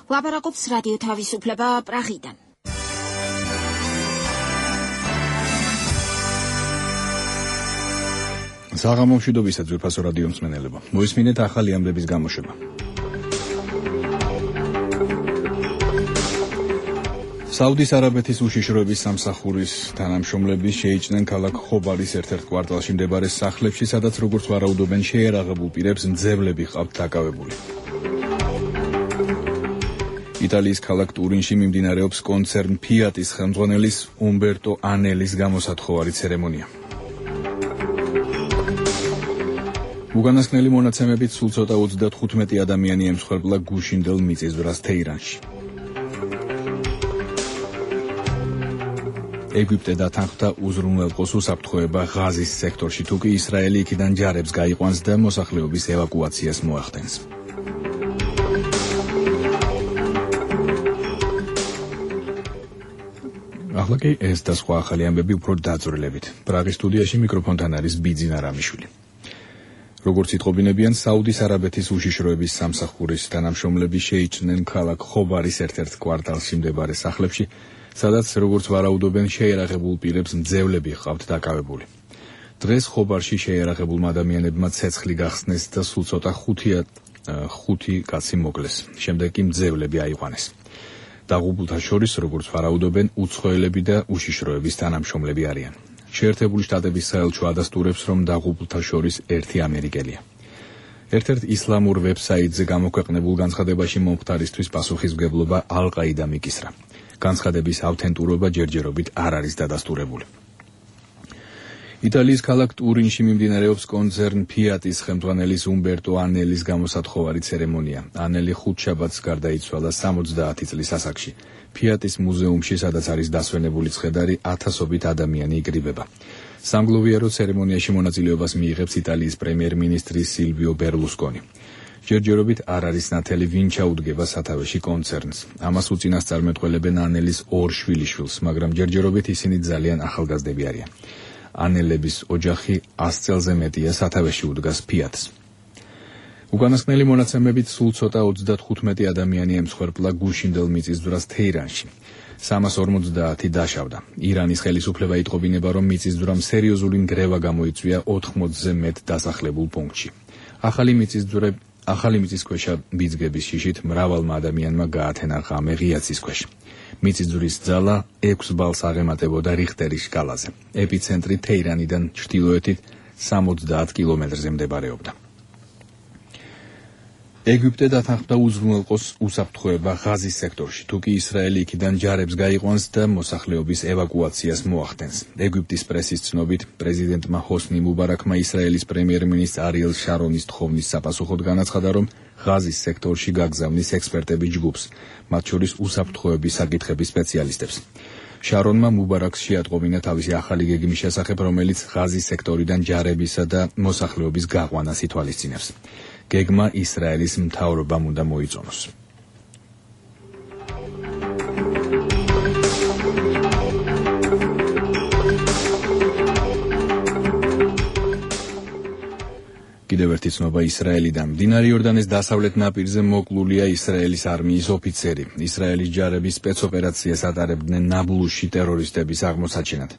ლაპარაკობს რადიო თავისუფლება პრაღიდან. საღამო მშვიდობისა ძვირფასო რადიო მსმენელებო. მოისმინეთ ახალი ამბების გამოშვება. საუდის არაბეთის უშიშროების სამსახურის თანამშრომლები შეიჭნენ ქალაქ ხობარის ერთ-ერთ კვარტალში მდებარე სახლებში, სადაც როგორც ვარაუდობენ შეერაღებულ პირებს მძევლები ჰყავთ დაკავებული. იტალიის ქალაქ ტურინში მიმდინარეობს კონცერნ ფიატის ხელმძღვანელის უმბერტო ანელის გამოსათხოვარი ცერემონია. უკანასკნელი მონაცემებით სულ ცოტა 35 ადამიანი ემსხვერპლა გუშინდელ მიწისძვრას თეირანში. ეგვიპტე დათანხმდა უზრუნველყოს უსაფრთხოება ღაზის სექტორში, თუკი ისრაელი იქიდან ჯარებს გაიყვანს და მოსახლეობის ევაკუაციას მოახდენს. ახლა კი ეს და სხვა ახალი ამბები უფრო დაძვრილებით. პრაღის სტუდიაში მიკროფონთან არის ბიძინა რამიშვილი. როგორც იტყობინებიან, საუდის არაბეთის უშიშროების სამსახურის თანამშრომლები შეიჭნენ ქალაქ ხობარის ერთ-ერთ კვარტალში მდებარე სახლებში, სადაც როგორც ვარაუდობენ შეერაღებულ პირებს მძევლები ჰყავთ დაკავებული. დღეს ხობარში შეერაღებულმა ადამიანებმა ცეცხლი გახსნეს და სულ ცოტა ხუთი კაცი მოკლეს. შემდეგ კი მძევლები აიყვანეს. დაღუპულთა შორის, როგორც ვარაუდობენ, უცხოელები და უშიშროების თანამშრომლები არიან. შეერთებული შტატების საელჩო ადასტურებს, რომ დაღუპულთა შორის ერთი ამერიკელია. ერთ-ერთ ისლამურ ვებსაიტზე გამოქვეყნებულ განცხადებაში მომხდარისთვის პასუხისმგებლობა ალ-ყაიდა მიკისრა. განცხადების ავთენტურობა ჯერჯერობით არ არის დადასტურებული. იტალიის ქალაქ ტურინში მიმდინარეობს კონცერნ ფიატის ხელმძღვანელის უმბერტო ანელის გამოსათხოვარი ცერემონია. ანელი ხუთშაბათს გარდაიცვალა 70 წლის ასაკში. ფიატის მუზეუმში, სადაც არის დასვენებული ცხედარი, ათასობით ადამიანი იკრიბება. სამგლოვიარო ცერემონიაში მონაწილეობას მიიღებს იტალიის პრემიერ-მინისტრი სილვიო ბერლუსკონი. ჯერჯერობით არ არის ნათელი, ვინ ჩაუდგება სათავეში კონცერნს. ამას უწინასწარმეტყველებენ ანელის ორ შვილიშვილს, მაგრამ ჯერჯერობით ისინი ძალიან ახალგაზრდები არიან. ანელების ოჯახი 100 წელზე მეტია სათავეში უდგას ფიატს. უკანასკნელი მონაცემებით სულ ცოტა 35 ადამიანი ემსხვერპლა გუშინდელ მიწისძვრას თეირანში. 350 დაშავდა. ირანის ხელისუფლება იტყობინება, რომ მიწისძვრამ სერიოზული ნგრევა გამოიწვია 80-ზე მეტ დასახლებულ პუნქტში. ახალი მიწისქვეშა ბიძგების შიშით მრავალმა ადამიანმა გაათენა ღამე ღია ცის ქვეშ. მიწისძვრის ძალა 6 ბალს აღემატებოდა რიხტერის სკალაზე. ეპიცენტრი თეირანიდან ჩრდილოეთით 70 კილომეტრზე მდებარეობდა. ეგვიპტე დათანხმდა უზრუნველყოს უსაფრთხოება ღაზის სექტორში, თუკი ისრაელი იქიდან ჯარებს გაიყვანს და მოსახლეობის ევაკუაციას მოახდენს. ეგვიპტის პრესის ცნობით, პრეზიდენტმა ჰოსნი მუბარაქმა ისრაელის პრემიერ-მინისტრ არიელ შარონის თხოვნის საპასუხოდ განაცხადა, რომ ღაზის სექტორში გაგზავნის ექსპერტების ჯგუფს, მათ შორის უსაფრთხოების საკითხების სპეციალისტებს. შარონმა მუბარაქს შეატყობინა თავისი ახალი გეგმის შესახებ, რომელიც ღაზის სექტორიდან ჯარებისა და მოსახლეობის გაყვანას ითვალისწინებს. გეგმა ისრაელის მთავრობამ უნდა მოიწონოს. კიდევ ერთი ცნობა ისრაელიდან. მდინარე იორდანეს დასავლეთ ნაპირზე მოკლულია ისრაელის არმიის ოფიცერი. ისრაელის ჯარების სპეცოპერაციას ატარებდნენ ნაბლუსში ტერორისტების აღმოსაჩენად.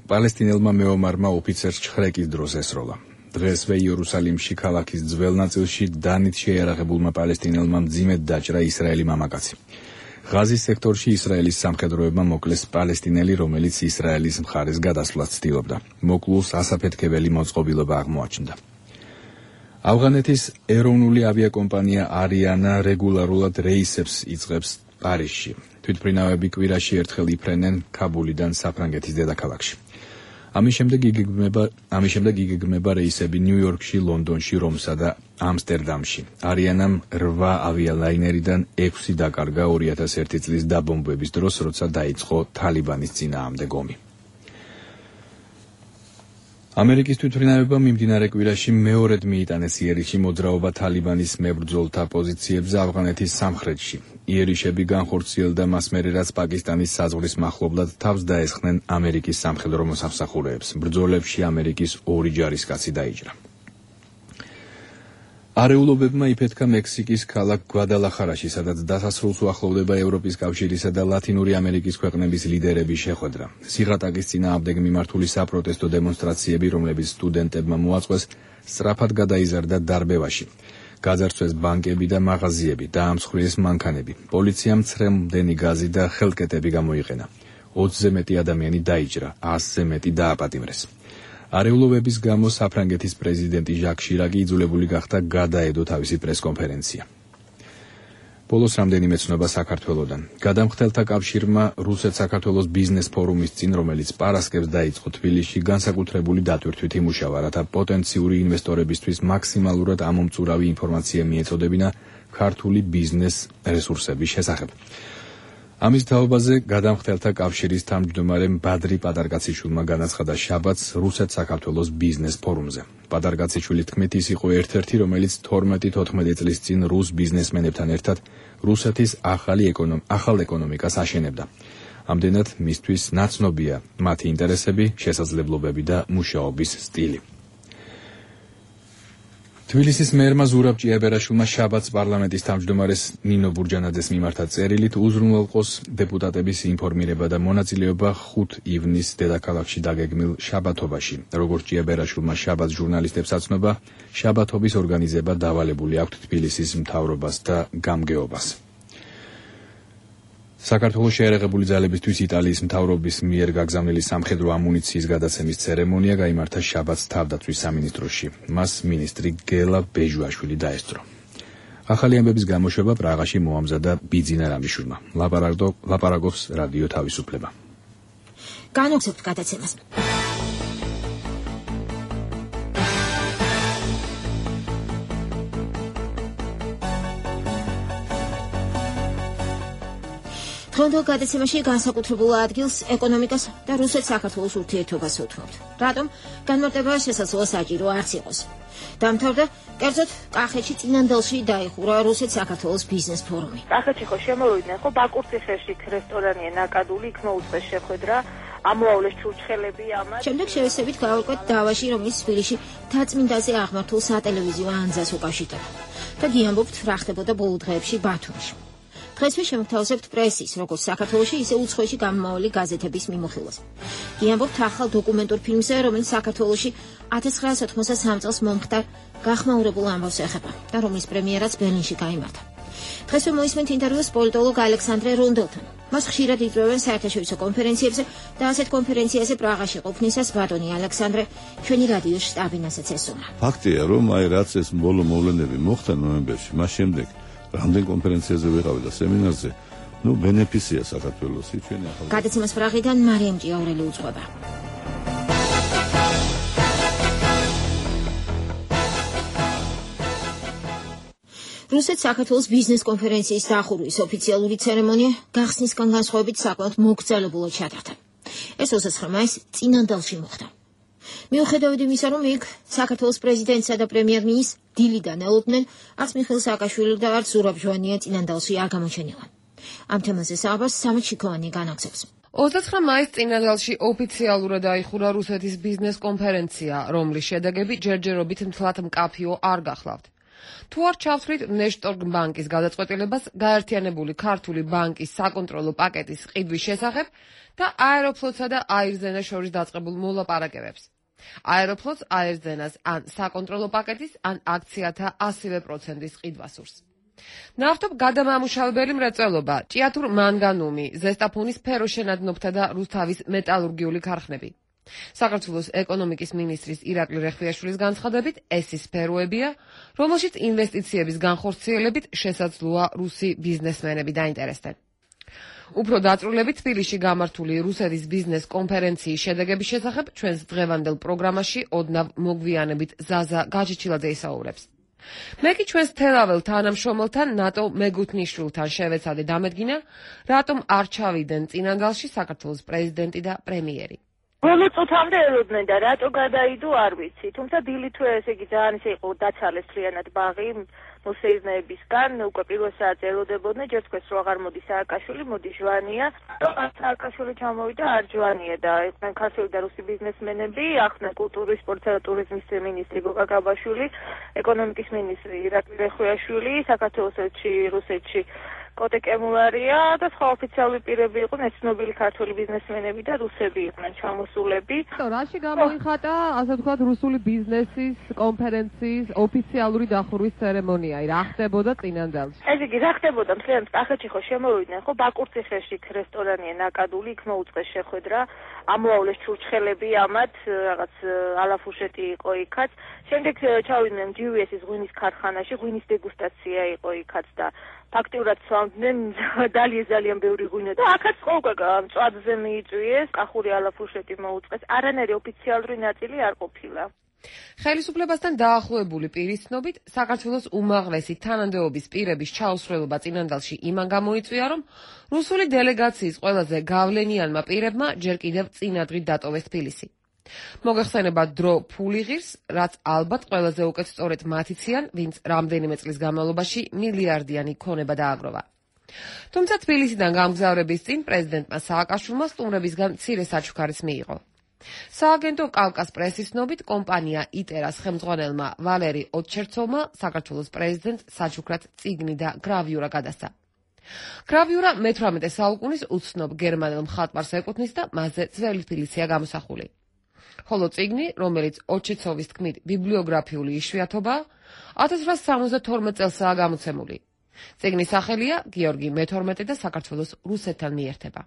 პალესტინელმა მეომარმა ოფიცერს ჩხრეკის დროს ესროლა. დღესვე იერუსალიმში ქალაქის ძველ ნაწილში დანით შეერაღებულმა პალესტინელმა მძიმედ დაჭრა ისრაელი მამაკაცი. ღაზის სექტორში ისრაელის სამხედროებმა მოკლეს პალესტინელი, რომელიც ისრაელის მხარეს გადასვლას ცდილობდა. მოკლულს ასაფეთქებელი მოწყობილობა აღმოაჩნდა. ავღანეთის ეროვნული ავიაკომპანია არიანა რეგულარულად რეისებს იწყებს პარიზში. თვითმფრინავები კვირაში ერთხელ იფრენენ ქაბულიდან საფრანგეთის დედაქალაქში. ამის შემდეგ იგეგმება რეისები ნიუ-იორკში, ლონდონში, რომსა და ამსტერდამში. არიანამ 8 ავიალაინერიდან 6 დაკარგა 2001 წლის დაბომბვების დროს, როცა დაიწყო თალიბანის წინააღმდეგ ომი. ამერიკის თვითმფრინავებამ მიმდინარე კვირაში მეორედ მიიტანეს იერიშში მოძრაობა თალიბანის მებრძოლთა პოზიციებზე ავღანეთის სამხრეთში. იერიშები განხორციელდა მას მერე, რაც პაკისტანის საზღვრის მახლობლად თავს დაესხნენ ამერიკის სამხედრო მოსამსახურეებს. ბრძოლებში ამერიკის 2 ჯარისკაცი დაიჭრა. არეულობებმა იფეთქა მექსიკის ქალაქ გვადალახარაში, სადაც დასასრულს უახლოვდება ევროპის კავშირისა და ლათინური ამერიკის ქვეყნების ლიდერების შეხვედრა. სიღატაკის წინააღმდეგ მიმართული საპროტესტო დემონსტრაციები, რომლებიც სტუდენტებმა მოაწყვეს, სწრაფად გადაიზარდა დარბევაში. გაძარცვეს ბანკები და მაღაზიები, დაამსხვრიეს მანქანები. პოლიციამ მცრემლმდენი გაზი და ხელკეტები გამოიყენა. 20-ზე მეტი ადამიანი დაიჭრა, 100-ზე მეტი დააპატიმრეს. არეულობების გამო საფრანგეთის პრეზიდენტი ჟაკ შირაკი იძულებული გახდა გადაედო თავისი პრესკონფერენცია. ბოლოს რამდენიმე ცნობა საქართველოდან. გადამხდელთა კავშირმა რუსეთ-საქართველოს ბიზნეს ფორუმის წინ, რომელიც პარასკევს დაიწყო თბილისში, განსაკუთრებული დატვირთვით იმუშავა, რათა პოტენციური ინვესტორებისთვის მაქსიმალურად ამომწურავი ინფორმაცია მიეწოდებინა ქართული ბიზნეს რესურსების შესახებ. ამის თაობაზე გადამხდელთა კავშირის თავმჯდომარე ბადრი პატარკაციშვილმა განაცხადა შაბათს რუსეთ-საქართველოს ბიზნეს ფორუმზე. პატარკაციშვილის თქმით, ის იყო ერთ-ერთი, რომელიც 12-14 წლის წინ რუს ბიზნესმენებთან ერთად რუსეთის ახალ ეკონომიკას აშენებდა. ამდენად მისთვის ნაცნობია მათი ინტერესები, შესაძლებლობები და მუშაობის სტილი. თბილისის მერმა ზურაბ ჭიაბერაშვილმა შაბათს პარლამენტის თავმჯდომარეს ნინო ბურჯანაძეს მიმართა წერილით უზრუნველყოს დეპუტატების ინფორმირება და მონაწილეობა 5 ივნის დედაქალაქში დაგეგმილ შაბათობაში. როგორც ჭიაბერაშვილმა შაბათს ჟურნალისტებს აცნობა, შაბათობის ორგანიზება დავალებული აქვთ თბილისის მთავრობას და გამგეობას. საქართველოს შეერაღებული ძალებისთვის იტალიის მთავრობის მიერ გაგზავნილი სამხედრო ამუნიციის გადაცემის ცერემონია გაიმართა შაბათს თავდაცვის სამინისტროში. მას მინისტრი გელა ბეჟუაშვილი დაესწრო. ახალი ამბების გამოშვება პრაღაში მოამზადა ბიძინა რამიშვილმა. ლაპარაკობს რადიო თავისუფლება. განვაგრძობთ გადაცემას. დღევანდელ გადაცემაში განსაკუთრებულ ადგილს ეკონომიკას და რუსეთ-საქართველოს ურთიერთობას უთმობთ. რატომ? განმარტება შესაძლოა საჭირო არც იყოს. დამთავრდა, კერძოდ, კახეთში წინანდალში დაიხურა რუსეთ-საქართველოს ბიზნეს ფორუმი. კახეთში ხო შემოვიდნენ, ხო ბაკურციხეში რესტორანია ნაკადული, იქ მოუწეს შეხვედრა, ამოავლეს ჩურჩხელები ამას. შემდეგ შევესებით გავარკვეთ დავაში, რომელიც თბილისში დაწმინდაზე აღმართულ სატელევიზიო ანძას უკავშირდება. და გიამბობთ, რა ხდებოდა ბოლო დღეებში ბათუმში. დღესვე შემოგთავაზებთ პრესის, როგორც საქართველოში, ისე უცხოეთში გამომავალი გაზეთების მიმოხილვას. გიამბობთ ახალ დოკუმენტურ ფილმზე, რომელიც საქართველოში 1993 წელს მომხდარ გახმაურებულ ამბავს ეხება და რომლის პრემიერაც ბერლინში გაიმართა. დღესვე მოისმენთ ინტერვიუს პოლიტოლოგ ალექსანდრე რონდელთან. მას ხშირად იწვევენ საერთაშორისო კონფერენციებზე და ასეთ კონფერენციაზე პრაღაში ყოფნისას ბატონი ალექსანდრე ჩვენი რადიოს შტაბინასაც ესწრა. ფაქტია, რომ რაც ეს ბოლო მოვლენები მოხდა ნოემბერში, მას შემდეგ რამდენ კონფერენციაზე ვიყავი და სემინარზე, ბენეფიცია საქართველოსი ჩვენი ახალ. გადაცემას პრაღიდან მარიამ ჭიაურელი უძღვება. რუსეთ-საქართველოს ბიზნეს კონფერენციის დახურვის ოფიციალური ცერემონია გახსნისგან განსხვავებით საკმაოდ მოგრძალებულად ჩატარდა. ეს 29 მაისს წინანდალში მოხდა. მიუხედავად იმისა, რომ იქ საქართველოს პრეზიდენტსა და პრემიერ-მინისტრს დილიდან ელოდნენ, არც მიხეილ სააკაშვილი და არც ზურაბ ჟვანია წინანდალში არ გამოჩენილან. ამ თემაზე საუბარს სამეთ შიქოვანი განაგზავს. 29 მაისს წინანდალში ოფიციალურად დაიხურა რუსეთის ბიზნეს კონფერენცია, რომლის შედეგები ჯერჯერობით მთლად მკაფიო არ გახლავთ. თუ არ ჩავთვლით ნეშტორგ ბანკის გადაწყვეტილებას გაერთიანებული ქართული ბანკის საკონტროლო პაკეტის ყიდვის შესახებ და აეროფლოტსა და აირზენას შორის დაწყებულ მოლაპარაკებებს. აეროფლოტს აირზენას ან საკონტროლო პაკეტის, ან აქციათა 100%-ის ყიდვა სურს. ნავთობ გადამამუშავებელი მრეწველობა, ჭიათურ მანგანუმი, ზესტაფონის სფეროშენადნობთა და რუსთავის მეტალურგიული ქარხნები. საქართველოს ეკონომიკის მინისტრის ირაკლი რეხვიაშვილის განცხადებით, ეს ის სფეროებია, რომელშიც ინვესტიციების განხორციელებით შესაძლოა რუსი ბიზნესმენები დაინტერესდნენ. უფრო დაწვრილებით თბილისში გამართული რუსეთის ბიზნეს კონფერენციის შედეგების შესახებ ჩვენს დღევანდელ პროგრამაში ოდნავ მოგვიანებით ზაზა გაჯიჩილაძე ისაუბრებს. მე კი ჩვენს თელაվել თანამშრომელთან ნატო მეგუთნიშვილთან შევეცადე დამედგინა, რატომ არ ჩავიდნენ წინანდალში საქართველოს პრეზიდენტი და პრემიერი. ბოლო წუთამდე ელოდნენ და რატო გადაიდო არ ვიცი, თუმცა დილითვე ესე იგი ძალიან ისე იყო დაცალეს მთლიანად ბაღი, მოსეირნეებისგან უკვე პირველ საათზე ელოდებოდნენ, ჯერ თქვეს რომ აღარ მოდის სააკაშვილი, მოდის ჟვანია. სააკაშვილი ჩამოვიდა, არ ჟვანია და იყვნენ ქართული და რუსი ბიზნესმენები, ახლა კულტურის, სპორტსა და ტურიზმის მინისტრი გოგა გაბაშვილი, ეკონომიკის მინისტრი ირაკლი რეხვიაშვილი, საქართველოს ელჩი რუსეთში კოტე კემულარია და სხვა ოფიციალური პირები იყვნენ, ცნობილი ქართული ბიზნესმენები და რუსები იყვნენ ჩამოსულები. რაში გამოიხატა, ასე ვთქვათ, რუსული ბიზნესის კონფერენციის ოფიციალური დახურვის ცერემონია? რა ხდებოდა წინანდალში? ეს იგი რა ხდებოდა? მთლიანად კახეთში ხო შემოვიდნენ, ხო ბაკურციხეში რესტორანია ნაკადული, იქ მოუწყეს შეხვედრა, ამოავლეს ჩურჩხელები ამათ, რაღაც ალაფუშეტი იყო იქაც. შემდეგ ჩავიდნენ GVS-ის ღვინის ქარხანაში, ღვინის დეგუსტაცია იყო იქაც და ფაქტიურად სვამდნენ ძალიან ბევრი ღვინო და აქაც ყოველგვარ მწვაძზე მიიწვიეს, კახური ალაფუშეტი მოუწყეს, არანაირი ოფიციალური ნაწილი არ ყოფილა. ხელისუფლებასთან დაახლოებული პირის ცნობით, საქართველოს უმაღლესი თანამდებობის პირების ჩაუსვლელობა წინანდალში იმან გამოიწვია, რომ რუსული დელეგაციის ყველაზე გავლენიანმა პირებმა ჯერ კიდევ წინადღით დატოვეს თბილისი. მოგეხსენებათ დრო ფული ღირს, რაც ალბათ ყველაზე უკეთ სწორედ მათ იციან, ვინც რამდენიმე წლის განმავლობაში მილიარდიანი ქონება დააგროვა. თუმცა თბილისიდან გამგზავრების წინ პრეზიდენტმა სააკაშვილმა სტუმრებისგან მცირე საჩუქარიც მიიღო. სააგენტო კავკას პრესის ცნობით, კომპანია იტერას ხელმძღვანელმა ვალერი ოტჩერცოვმა საქართველოს პრეზიდენტს საჩუქრად წიგნი და გრავიურა გადასცა. გრავიურა მე-18 საუკუნის უცნობ გერმანელ მხატვარს ეკუთვნის და მასზე ძველი თბილისია გამოსახული. ხოლო წიგნი, რომელიც ოტჩერცოვის თქმით ბიბლიოგრაფიული იშვიათობაა, 1872 წელსაა გამოცემული. წიგნის სახელია გიორგი მე-12 და საქართველოს რუსეთთან მიერთება.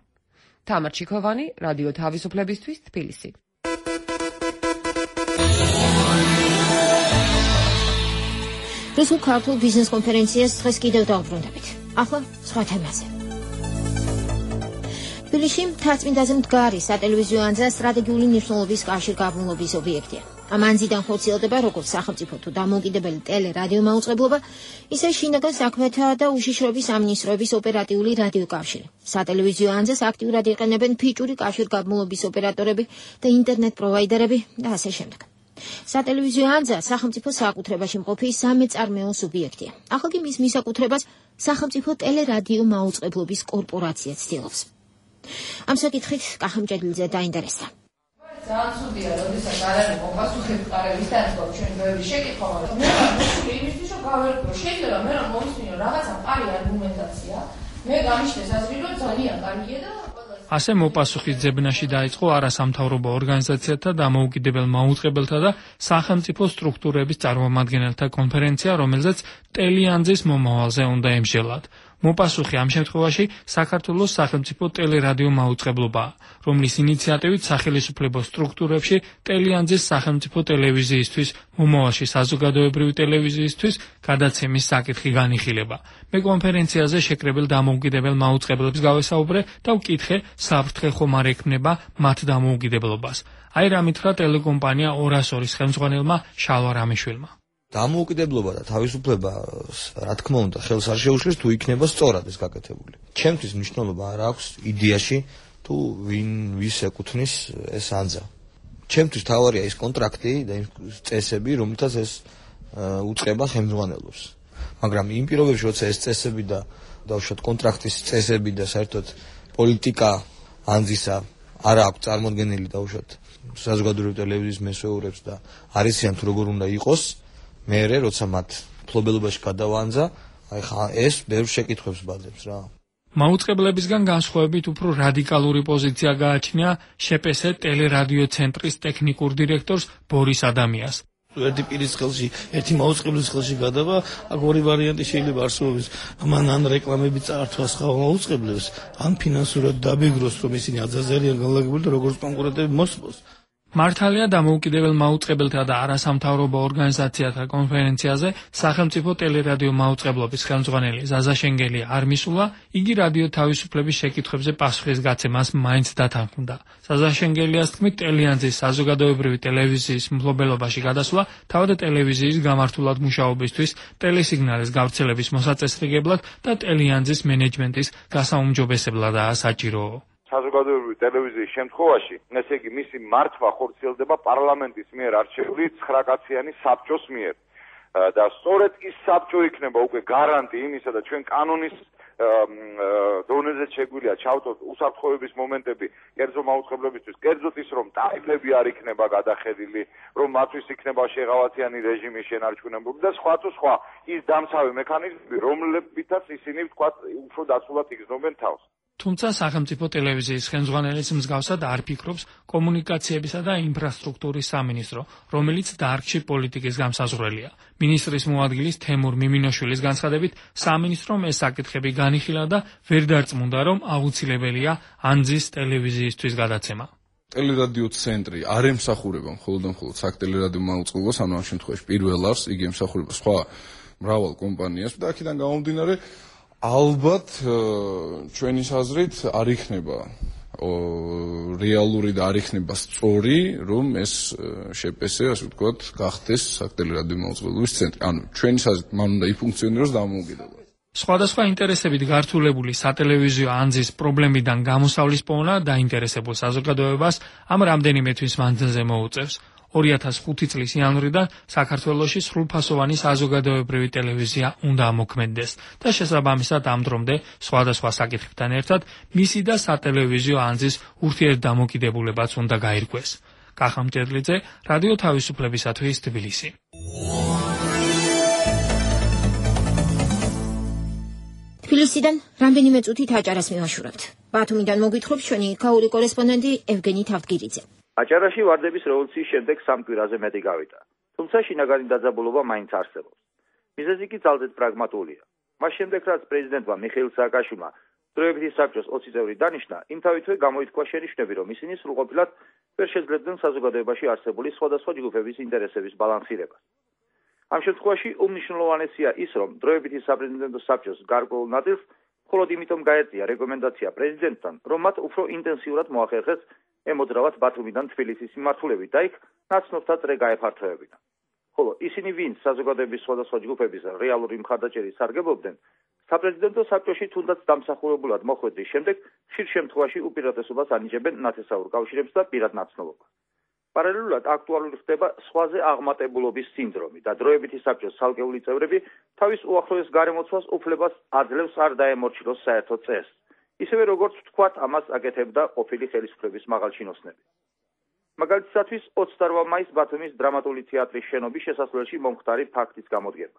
თამარ ჩიქოვანი, რადიო თავისუფლებისთვის, თბილისი. რუსულ ქართულ ბიზნეს კონფერენციას დღეს კიდევ დავბრუნდებით. ახლა სხვა თემაზე. თბილისში მთაწმინდაზე მდგარი სატელევიზიო ანძა სტრატეგიული მნიშვნელობის კავშირგაბმულობის ობიექტია. ამ ანძიდან ხორციელდება როგორც სახელმწიფო თუ დამოუკიდებელი ტელე-რადიო მაუწყებლობა, ისე შინაგან საქმეთა და უშიშროების სამინისტროების ოპერატიული რადიოკავშირი. სატელევიზიო ანძას აქტიურად იყენებენ ფიჭური კავშირგაბმულობის ოპერატორები და ინტერნეტ პროვაიდერები და ასე შემდეგ. სატელევიზიო ანძა სახელმწიფო საკუთრებაში მყოფი სამეწარმეო სუბიექტია. ახლა კი მის მისაკუთრებას სახელმწიფო ტელე-რადიო მაუწყებლობის კორპორაცია ცდილობს. ამ საკითხით კახამჭედლიძე დაინტერესდა. ძალიან ცუდია, როდესაც არ არის მოპასუხები ყარების დაწყობა ჩვენი ბევრი შეკითხვა, მაგრამ მე ვარ იმისთვის, რომ გავერკვევ. შეიძლება მე რომ მომისმინო რაღაცა პარი არგუმენტაცია, მე გამიშდეს აზრი, რომ ძალიან კარგია და ასე მოპასუხის ძებნაში დაიწყო არასამთავრობო ორგანიზაციათა, დამოუკიდებელ მაუწყებელთა და სახელმწიფო სტრუქტურების წარმომადგენელთა კონფერენცია, რომელზეც ტელეანძის მომავალზე უნდა ემსჯელათ. მოპასუხი ამ შემთხვევაში საქართველოს სახელმწიფო ტელე-რადიო მაუწყებლობაა, რომლის ინიციატივით სახელისუფლებო სტრუქტურებში ტელეანძის სახელმწიფო ტელევიზიისთვის, მომავალში საზოგადოებრივი ტელევიზიისთვის გადაცემის საკითხი განიხილება. მე კონფერენციაზე შეკრებილ დამოუკიდებელ მაუწყებლებს გავესაუბრე და ვკითხე, საფრთხე ხომ არ ექმნება მათ დამოუკიდებლობას. აი რა მითხრა ტელეკომპანია 202-ის ხელმძღვანელმა შალვა რამიშვილმა. დამოუკიდებლობა და თავისუფლება, რა თქმა უნდა, ხელს არ შეუშლის თუ იქნება სწორად ეს გაკეთებული. ჩემთვის მნიშვნელობა არ აქვს იდეაში თუ ვის ეკუთვნის ეს ანძა. ჩემთვის თავარია ის კონტრაქტი და იმ წესები, რომლითაც ეს უწყება ხელმძღვანელობს. მაგრამ იმ პირობებში, როცა ეს წესები და დავუშვათ კონტრაქტის წესები და საერთოდ პოლიტიკა ანძისა არ აქვს წარმოდგენილი დავუშვათ საზოგადოებრივი ტელევიზიის მესვეურებს და არ იციან თუ როგორ უნდა იყოს, მერე როცა მათ ფლობელობაში გადავანძა, აი ხა ეს ბევრ შეკითხვებს ბაძებს რა. მაუწყებლებისგან განსხვავებით უფრო რადიკალური პოზიცია გააჩნია შპს ტელე-რადიო ცენტრის ტექნიკურ დირექტორს ბორის ადამიას. ერთი პირის ხელში, ერთი მაუწყებლის ხელში გადავა, აქ ორი ვარიანტი შეიძლება არსებობს. მან ან რეკლამები წაართვა სხვა მაუწყებლებს, ან ფინანსურად დაბეგროს, რომ ისინი აზაზარიან განლაგებული და როგორც კონკურენტები მოსწოს. მართალია დამოუკიდებელ მაუწყებელთა და არასამთავრობო ორგანიზაციათა კონფერენციაზე სახელმწიფო ტელე-რადიო მაუწყებლობის ხელმძღვანელი ზაზა შენგელი არ მისულა, იგი რადიო თავისუფლების შეკითხვებზე პასუხის გაცემას მაინც დათანხმდა. ზაზა შენგელიას თქმით, ტელეანძის საზოგადოებრივი ტელევიზიის მფლობელობაში გადასვლა თავად ტელევიზიის გამართულად მუშაობისთვის, ტელესიგნალის გავრცელების მოსაწესრიგებლად და ტელეანძის მენეჯმენტის გასაუმჯობესებლადაა საჭირო. საზოგადოებრივი ტელევიზიის შემთხვევაში, ესე იგი მისი მართვა ხორციელდება პარლამენტის მიერ არჩეული 9 კაციანი საბჭოს მიერ. და სწორედ ის საბჭო იქნება უკვე გარანტი იმისა და ჩვენ კანონის დონეზე შეგვიძლია ჩავწოთ უსაფრთხოების მომენტები კერძო მაუწყებლობისთვის, კერძოდ ის რომ ტარიფები არ იქნება გადახედილი, რომ მათთვის იქნება შეღავათიანი რეჟიმის შენარჩუნებული და სხვა თუ სხვა ის დამცავი მექანიზმები, რომლებითაც ისინი ვთქვათ უფრო დაცულად იგრძნობენ თავს. თუმცა სახელმწიფო ტელევიზიის ხელმძღვანელის მსგავსად არ ფიქრობს კომუნიკაციებისა და ინფრასტრუქტურის სამინისტრო, რომელიც დარგში პოლიტიკის გამსაზღვრელია. მინისტრის მოადგილის თემურ მიმინოშვილის განცხადებით, სამინისტრომ ეს საკითხები განიხილა და ვერ დარწმუნდა, რომ აუცილებელია ანძის ტელევიზიისთვის გადაცემა. ტელერადიო ცენტრი არ ემსახურება მხოლოდ საქტელერადიო მაუწყებლობას, ანუ ამ შემთხვევაში პირველ არს, იგი ემსახურება სხვა მრავალ კომპანიას და აქედან გამომდინარე ალბათ ჩვენი აზრით არ იქნება რეალური და არ იქნება სწორი, რომ ეს შეპესე, ასე ვთქვათ, გახდეს საქტელერადიო მაუწყებლობის ცენტრი. ანუ ჩვენი აზრით მან უნდა იფუნქციონიროს დამოუკიდებლად. სხვადასხვა ინტერესებით გართულებული სატელევიზიო ანძის პრობლემიდან გამოსავლის პოვნა დაინტერესებულ საზოგადოებას ამ რამდენიმე თვის მანძილზე მოუწევს. 2005 წლის იანვრიდან საქართველოში სრულფასოვანი საზოგადოებრივი ტელევიზია უნდა ამოქმედდეს და შესაბამისად ამ დრომდე სხვადასხვა საკითხებთან ერთად მისი და სატელევიზიო ანძის ურთიერთდამოკიდებულებაც უნდა გაირკვეს. კახა მჭედლიძე, რადიო თავისუფლებისათვის თბილისი. თბილისიდან რამდენიმე წუთით აჭარას მივაშურებთ. ბათუმიდან მოგვითხრობს ჩვენი იქაური კორესპონდენტი ევგენი თავდგირიძე. აჭარაში ვარდების რევოლუციის შემდეგ სამ კვირაზე მეტი გავიდა. თუმცა შინაგანი დაძაბულობა მაინც არსებობს. მიზეზი კი ძალზედ პრაგმატულია. მას შემდეგ რაც პრეზიდენტმა მიხეილ სააკაშვილმა დროებითი საბჭოს 20 წევრი დანიშნა, იმთავითვე გამოითქვა შენიშვნები, რომ ისინი სრულყოფილად ვერ შეძლებდნენ საზოგადოებაში არსებული სხვადასხვა ჯგუფების ინტერესების ბალანსირებას. ამ შემთხვევაში უმნიშვნელოვანესია ის, რომ დროებითი საპრეზიდენტო საბჭოს გარკვეულ ნაწილს მხოლოდ იმიტომ გაეწია რეკომენდაცია პრეზიდენტთან, რომ მათ უფრო ინტენსიურად მოახერხეს ემოძრავათ ბათუმიდან თბილისის მიმართულებით და იქ ნაცნობთა წრე გაეფართოებინა. ხოლო ისინი, ვინც საზოგადოების სხვადასხვა ჯგუფების რეალური მხარდაჭერის სარგებლობდნენ, საპრეზიდენტო საბჭოში თუნდაც დამსახურებულად მოხვედრის შემდეგ ხშირ შემთხვევაში უპირატესობას ანიჭებენ ნათესაურ კავშირებს და პირად ნაცნობობას. პარალელურად აქტუალური ხდება სხვაზე აღმატებულობის სინდრომი და დროებითი საბჭოს ცალკეული წევრები თავის უახლოეს გარემოცვას უფლებას აძლევს არ დაემორჩილოს საერთო წესს. ისევე როგორც ვთქვათ, ამას აკეთებდა ყოფილი ხელისუფლების მაღალჩინოსნები. მაგალითისათვის 28 მაისს ბათუმის დრამატული თეატრის შენობის შესასვლელში მომხდარი ფაქტის გამოდგება.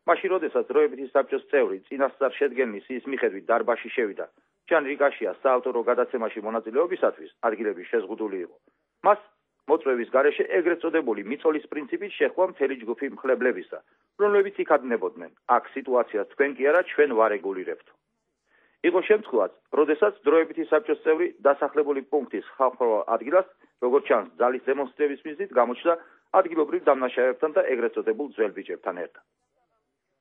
მაშინ, როდესაც დროებითი საბჭოს წევრი წინასწარ შედგენილი ის მიხედვით დარბაზში შევიდა, ჯან რიკაშიას საავტორო გადაცემაში მონაწილეობისათვის ადგილები შეზღუდული იყო. მას მოწვევის გარეშე ეგრეთ წოდებული მიწოლის პრინციპით შეხვდა მთელი ჯგუფი მხლებლებისა, რომლებიც იქადნებოდნენ, აქ სიტუაციას თქვენ კი არა, ჩვენ ვარეგულირებთ. იყო შემთხვევაც, როდესაც დროებითი საბჭოს წევრი დასახლებული პუნქტის ხალხურ ადგილას, როგორც ჩანს, ძალის დემონსტრების მიზნით გამოჩნდა ადგილობრივ დამნაშავეებთან და ეგრეთ წოდებულ ძველ ბიჭებთან ერთად.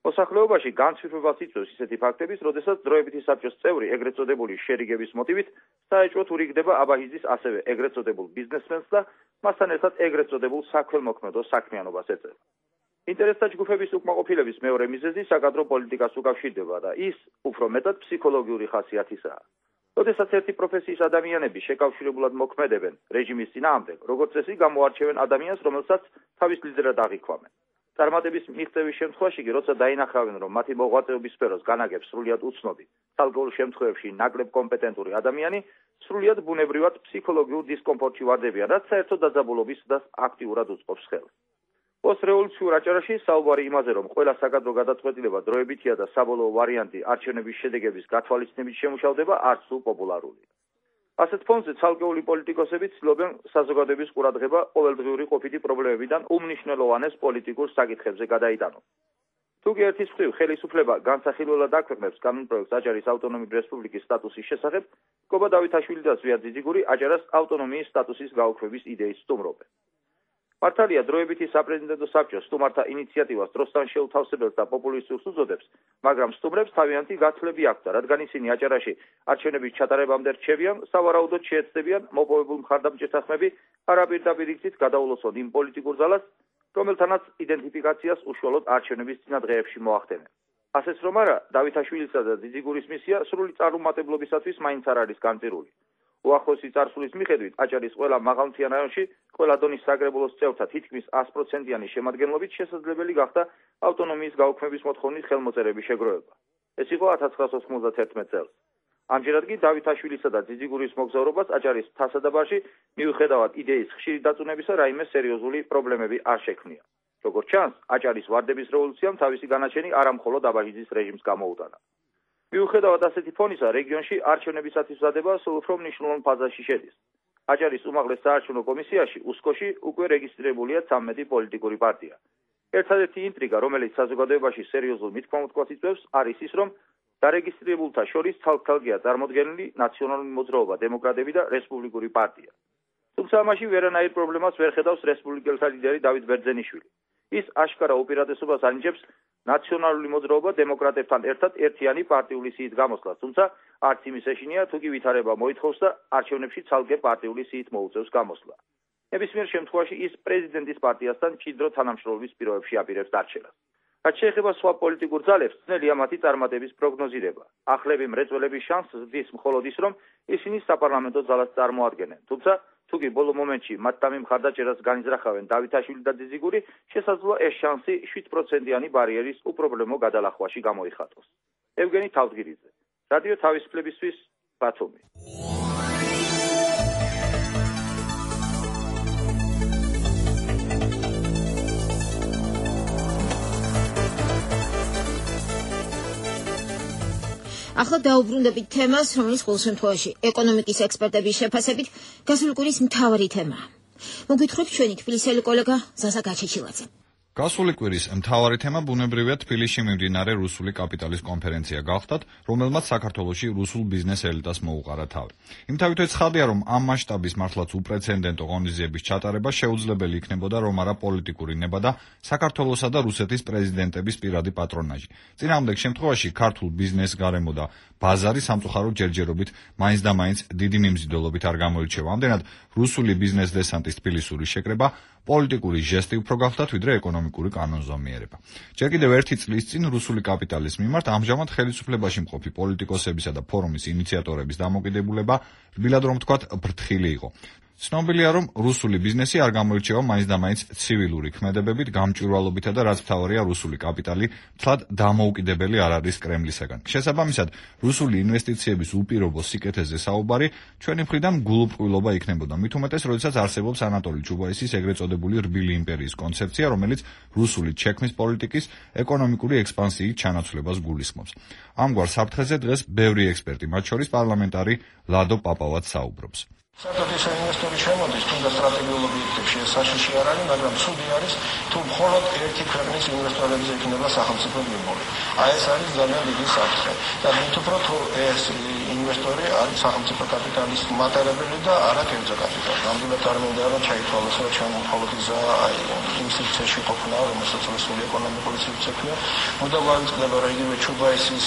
მოსახლეობაში განცვიფრებას იწვევს ისეთი ფაქტების, როდესაც დროებითი საბჭოს წევრი ეგრეთ წოდებული შერიგების მოტივით საეჭვოდ ურიგდება აბაჰიზის ასევე ეგრეთ წოდებულ ბიზნესმენს და მასთან ერთად ეგრეთ წოდებულ საქველმოქმედო საქმიანობას ეწევა. ინტერესთა ჯგუფების უკმაყოფილების მეორე მიზეზი საკადრო პოლიტიკას უკავშირდება და ის უფრო მეტად ფსიქოლოგიური ხასიათისაა. როდესაც ერთი პროფესიის ადამიანები შეკავშირებულად მოქმედებენ რეჟიმის წინააღმდეგ, როგორც წესი გამოარჩევენ ადამიანს, რომელსაც თავის ლიდერად აღიქვამენ. წარმატების მიღწევის შემთხვევაში კი, როცა დაინახავენ, რომ მათი მოღვაწეობის სფეროს განაგებს სრულიად უცნობი, ცალკეულ შემთხვევებში ნაკლებ კომპეტენტური ადამიანი, სრულიად ბუნებრივად ფსიქოლოგიურ დისკომფორტში ვარდებიან, რაც საერთო დაძაბულობის და აქტიურად უწყობს ხელს. პოსტრევოლუციურ აჭარაში საუბარი იმაზე, რომ ყველა საკადრო გადაწყვეტილება დროებითია და საბოლოო ვარიანტი არჩევნების შედეგების გათვალისწინებით შემუშავდება, არც თუ პოპულარულია. ასეთ ფონზე ცალკეული პოლიტიკოსები ცდილობენ საზოგადოების ყურადღება ყოველდღიური ყოფითი პრობლემებიდან უმნიშვნელოვანეს პოლიტიკურ საკითხებზე გადაიტანონ. თუკი ერთის მხრივ ხელისუფლება განსახილველად აქვეყნებს კანონპროექტს აჭარის ავტონომიური რესპუბლიკის სტატუსის შესახებ, გობა დავითაშვილი და ზვიად ძიძიგური აჭარას ავტონომიის სტატუსის გაუქმების იდეის სტუმრობენ. მართალია დროებითი საპრეზიდენტო საბჭო სტუმართა ინიციატივას დროსთან შეუთავსებელს და პოპულისტურს უწოდებს, მაგრამ სტუმრებს თავიანთი გაცვლები აქვთ, რადგან ისინი აჭარაში არჩევნების ჩატარებამდე რჩებიან, სავარაუდოდ შეეცდებიან მოპოვებულ მხარდამჭერთა ხმები არაპირდაპირ იქით გადაულოცონ იმ პოლიტიკურ ძალას, რომელთანაც იდენტიფიკაციას უშუალოდ არჩევნების წინა დღეებში მოახდენენ. ასეც რომ არა, დავითაშვილისა და ძიძიგურის მისია სრული წარუმატებლობისათვის მაინც არ არის განწირული. უახლოესი წარსულის მიხედვით აჭარის ყველა მაღალმთიან რაიონში ყველა დონის საგრებულოს წევრთა თითქმის 100%-იანი შემადგენლობით შესაძლებელი გახდა ავტონომიის გაუქმების მოთხოვნის ხელმოწერების შეგროვება. ეს იყო 1991 წელს. ამჯერად კი დავითაშვილისა და ძიძიგურის მოგზაურობას აჭარის თასადაბარში მიუხედავად იდეის ხშირი დაწუნებისა რაიმე სერიოზული პრობლემები არ შექმნია. როგორც ჩანს, აჭარის ვარდების რევოლუციამ თავისი განაჩენი არა მხოლოდ აბაჟიძის რეჟიმს გამოუტანა. მიუხედავად ასეთი ფონისა, რეგიონში არჩევნებისათვის მზადება სულ უფრო მნიშვნელოვან ფაზაში შედის. აჭარის უმაღლეს საარჩევნო კომისიაში უსკოში უკვე რეგისტრირებულია 13 პოლიტიკური პარტია. ერთადერთი ინტრიგა, რომელიც საზოგადოებაში სერიოზულ მithkomotquats იწვევს, არის ის, რომ დარეგისტრირებულთა შორის თალკთალგეა წარმოდგენილი ნაციონალური მოძრაობა დემოკრატები და რესპუბლიკური პარტია. თუმცა ამაში ვერანაირ პრობლემას ვერ ხედავს რესპუბლიკელთა ლიდერი დავით ბერძენიშვილი. ის აშკარა უპირატესობას ანიჭებს ნაციონალური მოძრაობა დემოკრატებთან ერთად ერთიანი პარტიული სიით გამოსვლას, თუმცა არც იმის ეშინია, თუ კი ვითარება მოითხოვს და არჩევნებში ცალკე პარტიული სიით მოუწევს გამოსვლა. ნებისმიერ შემთხვევაში ის პრეზიდენტის პარტიასთან მჭიდრო თანამშრომლობის პირობებში აპირებს დარჩენას. რაც შეეხება სხვა პოლიტიკურ ძალებს, ძნელია მათი წარმატების პროგნოზირება. ახლები მრეწველების შანსს ზრდის მხოლოდ ის, რომ ისინი საპარლამენტო ძალას წარმოადგენენ, თუმცა თუ კი ბოლო მომენტში მათთან მხარდაჭერას განიზრახავენ დავითაშვილი და ძიძიგური, შესაძლოა ეს შანსი 7%-იანი ბარიერის უპრობლემო გადალახვაში გამოიხატოს. ევგენი თავდგირიძე, რადიო თავისუფლებისთვის, ბათუმი. ახლა დაუბრუნდებით თემას, რომელიც ყოველ შემთხვევაში ეკონომიკის ექსპერტების შეფასებით გასული კვირის მთავარი თემაა. მოგვითხრობ ჩვენი თბილისელი კოლეგა ზაზა გაჩეჩილაძე. გასული კვირის მთავარი თემა ბუნებრივია თბილისში მიმდინარე რუსული კაპიტალის კონფერენცია გახდათ, რომელმაც საქართველოში რუსულ ბიზნეს ელიტას მოუყარა თავი. იმთავითაც ცხადია, რომ ამ მასშტაბის მართლაც უპრეცედენტო ღონისძიების ჩატარება შეუძლებელი იქნებოდა, რომ არა პოლიტიკური ნება და საქართველოსა და რუსეთის პრეზიდენტების პირადი პატრონაჟი. წინააღმდეგ შემთხვევაში ქართულ ბიზნესს გარემო და ბაზარი სამწუხაროდ ჯერჯერობით მაინც და მაინც დიდი მიმზიდველობით არ გამოირჩევა. ამდენად რუსული ბიზნეს დესანტის თბილისური შეკრება პოლიტიკური ჟესტი უფრო გახდათ, ვიდრე ეკონომიკური კანონზომიერება. ჯერ კიდევ ერთი წლის წინ რუსული კაპიტალის მიმართ ამჟამად ხელისუფლებაში მყოფი პოლიტიკოსებისა და ფორუმის ინიციატორების დამოკიდებულება, რბილად რომ ვთქვათ, ფრთხილი იყო. ცნობილია, რომ რუსული ბიზნესი არ გამოირჩევა მაინც და მაინც ცივილური ქმედებებით, გამჭვირვალობითა და რაც მთავარია, რუსული კაპიტალი თლად დამოუკიდებელი არ არის კრემლისაგან. შესაბამისად, რუსული ინვესტიციების უპირობო სიკეთეზე საუბარი ჩვენი მხრიდან გულუბრყვილობა იქნებოდა. მით უმეტეს, როდესაც არსებობს ანატოლი ჩუბაისის ეგრეთ წოდებული რბილი იმპერიის კონცეფცია, რომელიც რუსული ჩექმის პოლიტიკის ეკონომიკური ექსპანსიით ჩანაცვლებას გულისხმობს. ამგვარ საფრთხეზე დღეს ბევრი ექსპერტი, მათ შორის პარლამენტარი ლადო პაპავაც საუბრობს. საერთოდ ინვესტორი შემოდის, თუნდაც სტრატეგიულ ობიექტებში ეს საშიში არ არის, მაგრამ ცუდი არის, თუ მხოლოდ ერთი ქვეყნის ინვესტორებზე იქნება სახელმწიფო მიმორი. აი ეს არის ძალიან დიდი საფრთხე. და მით უფრო თუ ეს ინვესტორი არის სახელმწიფო კაპიტალის მატარებელი და არა კერძო კაპიტალი. ნამდვილად არ მინდა რომ ჩაითვალოს, რომ ჩვენ მხოლოდ ისა იმ სივრცეში ყოფნა, რომელსაც რუსული ეკონომიკური სივრცე ქვია. მუდამ გავიწყდება, რომ იგივე ჩუბაისის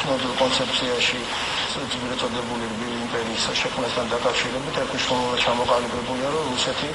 ცნობილ კონცეფციაში ძირითადად წოდებული რბილი იმპერიის შექმნასთან დაკავშირებით ერთ მნიშვნელოვნად ჩამოყალიბებულია, რომ რუსეთი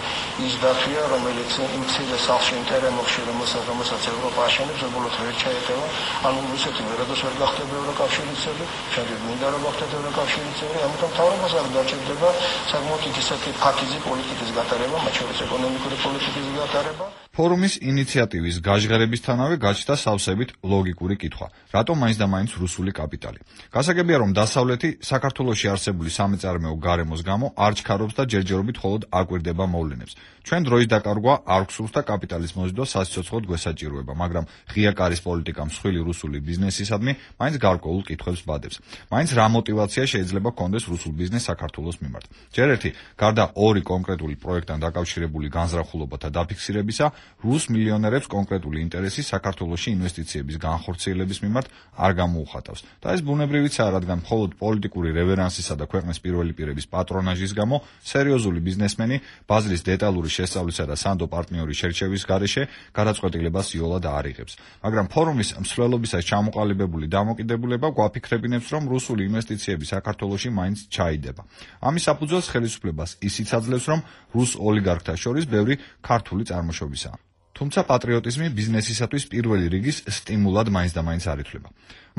ის დათვია, რომელიც იმ მცირე სახლში ინტერემოხში, რომელსაც ევროპა აშენებს, უბრალოდ ვერ ჩაეტევა. ანუ რუსეთი ვერადოს ვერ გახდება ევროკავშირის წევრი, შემდეგ მინდა რომ გახდეს ევროკავშირის წევრი, ამიტომ თავრობას არ დაჭირდება საკმაოდ ისეთი ფაქიზი პოლიტიკის გატარება, მათ შორის ეკონომიკური პოლიტიკის გატარება. ფორუმის ინიციატივის გაჟღერებისთანავე გაჩნდა სავსებით ლოგიკური კითხვა: რატომ მაინც და მაინც რუსული კაპიტალი? გასაგებია, რომ დასავლეთი საქართველოში არსებული სამეწარმეო გარემოს გამო არ ჩქარობს და ჯერჯერობით მხოლოდ აკვირდება მოვლენებს. ჩვენ დროის დაკარგვა არ გვსურს და კაპიტალის მოზიდვა სასიცოცხლოდ გვესაჭიროება, მაგრამ ღია კარის პოლიტიკა მსხვილი რუსული ბიზნესისადმი მაინც გარკვეულ კითხვებს ბადებს. მაინც რა მოტივაცია შეიძლება ჰქონდეს რუსულ ბიზნესს საქართველოს მიმართ? ჯერ ერთი, გარდა ორი კონკრეტული პროექტთან დაკავშირებული განზრახულობათა დაფიქსირებისა, რუს მილიონერებს კონკრეტული ინტერესი საქართველოში ინვესტიციების განხორციელების მიმართ არ გამოუხატავს. და ეს ბუნებრივიცაა, რადგან მხოლოდ პოლიტიკური რევერანსისა და ქვეყნის პირველი პირების პატრონაჟის გამო სერიოზული ბიზნესმენი ბაზრის დეტალური შესწავლისა და სანდო პარტნიორის შერჩევის გარეშე გადაწყვეტილებას იოლად არ იღებს. მაგრამ ფორუმის მსვლელობისას ჩამოყალიბებული დამოკიდებულება გვაფიქრებინებს, რომ რუსული ინვესტიციები საქართველოში მაინც ჩაიდება. ამის საფუძველს ხელისუფლებას ისიც აძლევს, რომ რუს ოლიგარქთა შორის ბევრი ქართული წარმოშობისაა. თუმცა პატრიოტიზმი ბიზნესისათვის პირველი რიგის სტიმულად მაინც და მაინც არ ითვლება.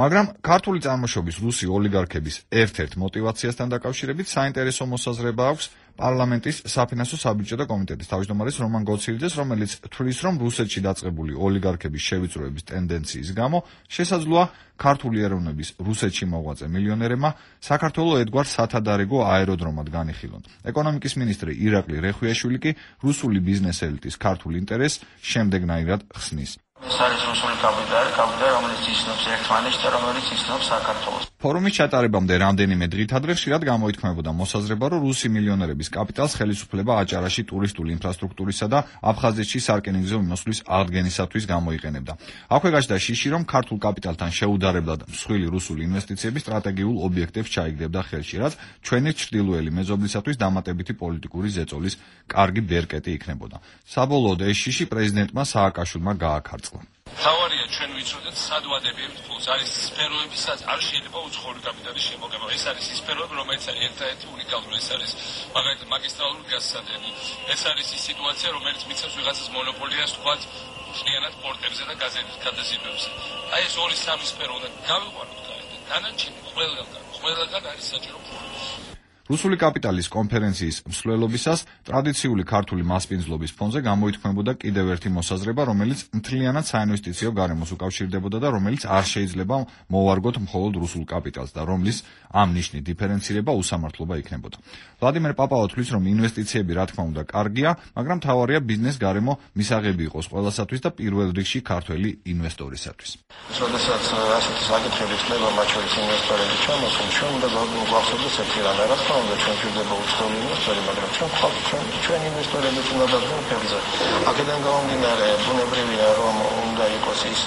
მაგრამ ქართული წარმოშობის რუსი ოლიგარქების ერთ-ერთ მოტივაციასთან დაკავშირებით საინტერესო მოსაზრება აქვს პარლამენტის საფინანსო საბიუჯეტო კომიტეტის თავმჯდომარის რომან გოცილიძეს, რომელიც თვლის, რომ რუსეთში დაწყებული ოლიგარქების შევიწროების ტენდენციის გამო შესაძლოა ქართული ეროვნების რუსეთში მოღვაწე მილიონერებმა საქართველოს ერთგვარ სათადარიგო აეროდრომად განიხილონ. ეკონომიკის მინისტრი ირაკლი რეხვიაშვილი კი რუსული ბიზნეს ელიტის ქართულ ინტერესს შემდეგნაირად ხსნის. ეს არის რუსული კაპიტალი, რომელიც იცნობს ერთმანეთს და რომელიც იცნობს საქართველოს. ფორუმის ჩატარებამდე რამდენიმე დღით ადრე ხშირად გამოითქმებოდა მოსაზრება, რომ რუსი მილიონერების კაპიტალს ხელისუფლება აჭარაში ტურისტული ინფრასტრუქტურისა და აფხაზეთში სარკინიგზო მიმოსვლის აღდგენისათვის გამოიყენებდა. აქვე გაჩნდა შიში, რომ ქართულ კაპიტალთან შეუდარებლად მსხვილი რუსული ინვესტიციები სტრატეგიულ ობიექტებს ჩაიგდებდა ხელში, რაც ჩვენი ჩრდილოელი მეზობლისათვის დამატებითი პოლიტიკური ზეწოლის კარგი ბერკეტი იქნებოდა. საბოლოოდ ეს შიში პრეზიდენტმა სააკაშვილმა გააქარწყლა. თავარია ჩვენ ვიცოდეთ სად ვადებებთ ფულს. არის სფეროები, სადაც არ შეიძლება უცხოური კაპიტალის შემოგება. ეს არის ის სფეროები, რომელიც ერთ-ერთი უნიკალური. ეს არის მაგალითად მაგისტრალური გაზსადენი. ეს არის ის სიტუაცია, რომელიც მიცემს ვიღაცას მონოპოლიას თქვათ მთლიანად პორტებზე და გადაზიდვებზე. აი ეს 2-3 სფერო უნდა გავიყვანოთ გაერთად. დანარჩენი ყველგან არის საჭირო ფული. რუსული კაპიტალის კონფერენციის მსვლელობისას ტრადიციული ქართული მასპინძლობის ფონზე გამოითქმებოდა კიდევ ერთი მოსაზრება, რომელიც მთლიანად საინვესტიციო გარემოს უკავშირდებოდა და რომელიც არ შეიძლება მოვარგოთ მხოლოდ რუსულ კაპიტალს და რომლის ამ ნიშნით დიფერენცირება უსამართლობა იქნებოდა. ვლადიმერ პაპავა თვლის, რომ ინვესტიციები რა თქმა უნდა კარგია, მაგრამ თავარია ბიზნეს გარემო მისაღები იყოს ყველასათვის და პირველ რიგში ქართველი ინვესტორისათვის. როდესაც ასეთი საკითხები ხდება, მათ შორის ინვესტორების ჩამოსვლა, ჩვენ უნდა გვახსოვდეს ერთი რამ, რა თქმა უნდა ჩვენ გვხვდება უცხოელი ინვესტორი, მაგრამ ჩვენ ინვესტორებიც უნდა დადგმოთ ფერზე. აქედან გამომდინარე, ბუნებრივია, რომ უნდა იყოს ის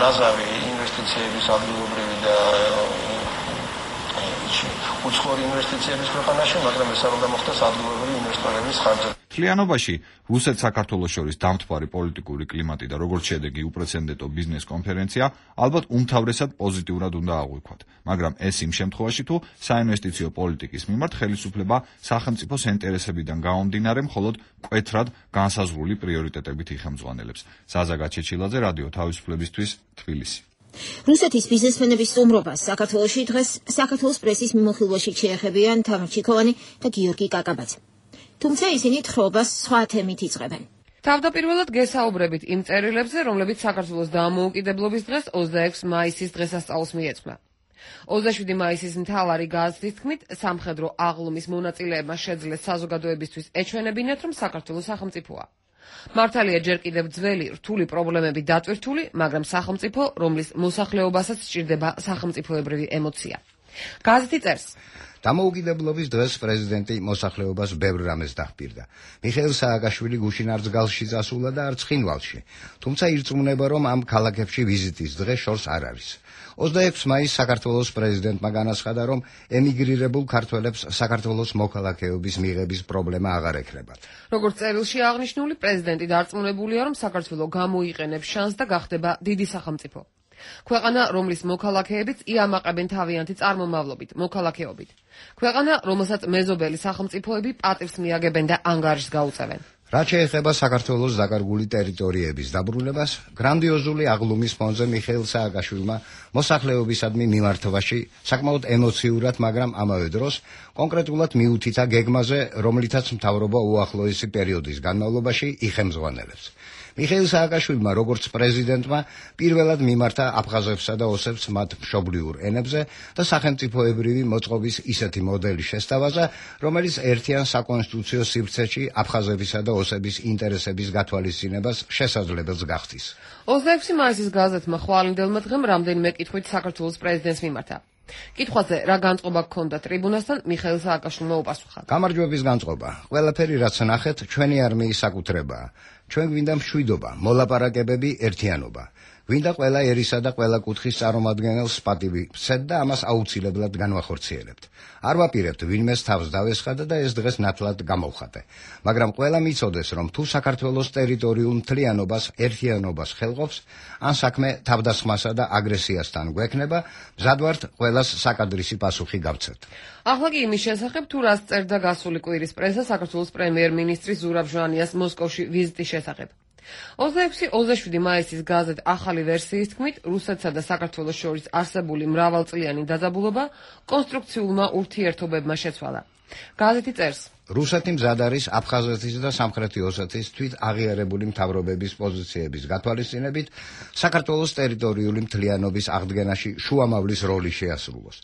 ნაზავი ინვესტიციების ადგილობრივი და უცხოური ინვესტიციების ქვეყანაში, მაგრამ ეს არ უნდა მოხდეს ადგილობრივი ინვესტორების ხარჯზე. მთლიანობაში რუსეთ-საქართველოს შორის დამთვარი პოლიტიკური კლიმატი და როგორც შედეგი უპრეცედენტო ბიზნეს კონფერენცია ალბათ უმთავრესად პოზიტიურად უნდა აღვიქვათ, მაგრამ ეს იმ შემთხვევაში, თუ საინვესტიციო პოლიტიკის მიმართ ხელისუფლება სახელმწიფოს ინტერესებიდან გამომდინარე მხოლოდ მკვეთრად განსაზღვრული პრიორიტეტებით იხელმძღვანელებს. ზაზა გაჩეჩილაძე, რადიო თავისუფლებისთვის, თბილისი. რუსეთის ბიზნესმენების სტუმრობას საქართველოში დღეს საქართველოს პრესის მიმოხილვაში შეეხებიან თამარ ჩიქოვანი და გიორგი კაკაბაძე. თუმცა ისინი თხრობას სხვა თემით იწყებენ. თავდაპირველად გესაუბრებით იმ წერილებზე, რომლებიც საქართველოს დამოუკიდებლობის დღეს 26 მაისის დღესასწაულს მიეძღვნა. 27 მაისის მთავარი გაზეთის თქმით, სამხედრო აღლუმის მონაწილეებმა შეძლეს საზოგადოებისთვის ეჩვენებინათ, რომ საქართველოს სახელმწიფოა. მართალია ჯერ კიდევ ძველი რთული პრობლემები დატვირთული, მაგრამ სახელმწიფო, რომლის მოსახლეობასაც სჭირდება სახელმწიფოებრივი ემოცია. გაზეთი წერს: დამოუკიდებლობის დღეს პრეზიდენტი მოსახლეობას ბევრ რამეს დახპირდა. მიხეილ სააკაშვილი გუშინ არც გალში წასულა და არც ცხინვალში. თუმცა ირწმუნება, რომ ამ ქალაქებში ვიზიტის დღე შორს არ არის. 26 მაისს საქართველოს პრეზიდენტმა განაცხადა, რომ ემიგრირებულ ქართველებს საქართველოს მოქალაქეობის მიღების პრობლემა აღარ ექნებათ. როგორც წერილში აღნიშნული, პრეზიდენტი დარწმუნებულია, რომ საქართველო გამოიყენებს შანსს და გახდება დიდი სახელმწიფო. ქვეყანა, რომლის მოქალაქეებიც იამაყებენ თავიანთი წარმომავლობით, მოქალაქეობით. ქვეყანა, რომელსაც მეზობელი სახელმწიფოები პატივს მიაგებენ და ანგარიშს გაუწევენ. რაც შეეხება საქართველოს დაკარგული ტერიტორიების დაბრუნებას, გრანდიოზული აღლუმის ფონზე მიხეილ სააკაშვილმა მოსახლეობისადმი მიმართვაში საკმაოდ ემოციურად, მაგრამ ამავე დროს კონკრეტულად მიუთითა გეგმაზე, რომლითაც მთავრობა უახლოესი პერიოდის განმავლობაში იხელმძღვანელებს. მიხეილ სააკაშვილმა, როგორც პრეზიდენტმა, პირველად მიმართა აფხაზებსა და ოსებს მათ მშობლიურ ენებზე და სახელმწიფოებრივი მოწყობის ისეთი მოდელი შესთავაზა, რომელიც ერთიან საკონსტიტუციო სივრცეში აფხაზებისა და ოსების ინტერესების გათვალისწინებას შესაძლებელს გახდის. 26 მაისის გაზეთმა ხვალინდელმა დღემ რამდენიმე კითხვით საქართველოს პრეზიდენტს მიმართა. კითხვაზე რა განწყობა ჰქონდა ტრიბუნასთან, მიხეილ სააკაშვილმა უპასუხა: გამარჯვების განწყობა. ყველაფერი რაც ნახეთ, ჩვენი არმიის საკუთრებაა. ჩვენ გვინდა მშვიდობა, მოლაპარაკებები, ერთიანობა. გვინდა ყველა ერისა და ყველა კუთხის წარმომადგენელს პატივი ვცეთ და ამას აუცილებლად განვახორციელებთ. არ ვაპირებთ ვინმეს თავს დავესხადა და ეს დღეს ნათლად გამოვხატე. მაგრამ ყველა მიცოდეს, რომ თუ საქართველოს ტერიტორიულ მთლიანობას, ერთიანობას ხელყოფს, ან საქმე თავდასხმასა და აგრესიასთან გვექნება, მზად ვართ ყველას საკადრისი პასუხი გავცეთ. ახლა კი იმის შესახებ, თუ რას წერდა გასული კვირის პრესა საქართველოს პრემიერ-მინისტრის ზურაბ ჟვანიას მოსკოვში ვიზიტის შესახებ. 26-27 მაისის გაზეთ ახალი ვერსიის თქმით, რუსეთსა და საქართველოს შორის არსებული მრავალწლიანი დაძაბულობა კონსტრუქციულმა ურთიერთობებმა შეცვალა. გაზეთი წერს: რუსეთი მზად არის აფხაზეთის და სამხრეთი ოსეთის თვით აღიარებული მთავრობების პოზიციების გათვალისწინებით საქართველოს ტერიტორიული მთლიანობის აღდგენაში შუამავლის როლი შეასრულოს.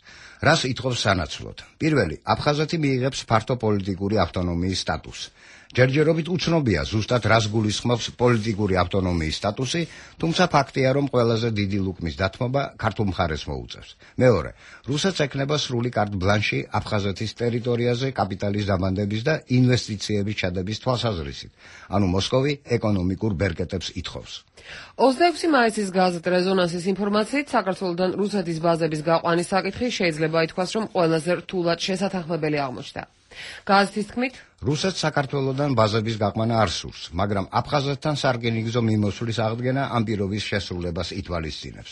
რას ითხოვს სანაცვლოდ? პირველი, აფხაზეთი მიიღებს ფართო პოლიტიკური ავტონომიის სტატუსს. ჯერჯერობით უცნობია ზუსტად რას გულისხმობს პოლიტიკური ავტონომიის სტატუსი, თუმცა ფაქტია, რომ ყველაზე დიდი ლუკმის დათმობა ქართულ მხარეს მოუწევს. მეორე, რუსეთს ექნება სრული კარტ ბლანში აფხაზეთის ტერიტორიაზე კაპიტალის დამანდების და ინვესტიციების ჩადების თვალსაზრისით, ანუ მოსკოვი ეკონომიკურ ბერკეტებს ითხოვს. 26 მაისის გაზეთ რეზონანსის ინფორმაციით, საქართველოდან რუსეთის ბაზების გაყვანის საკითხი შეიძლება ითქვას, რომ ყველაზე რთულად შესათანხმებელი აღმოჩნდა. გაზეთის თქმით, რუსეთს საქართველოდან ბაზების გაყვანა არ სურს, მაგრამ აფხაზეთთან სარკინიგზო მიმოსვლის აღდგენა ამ პირობის შესრულებას ითვალისწინებს.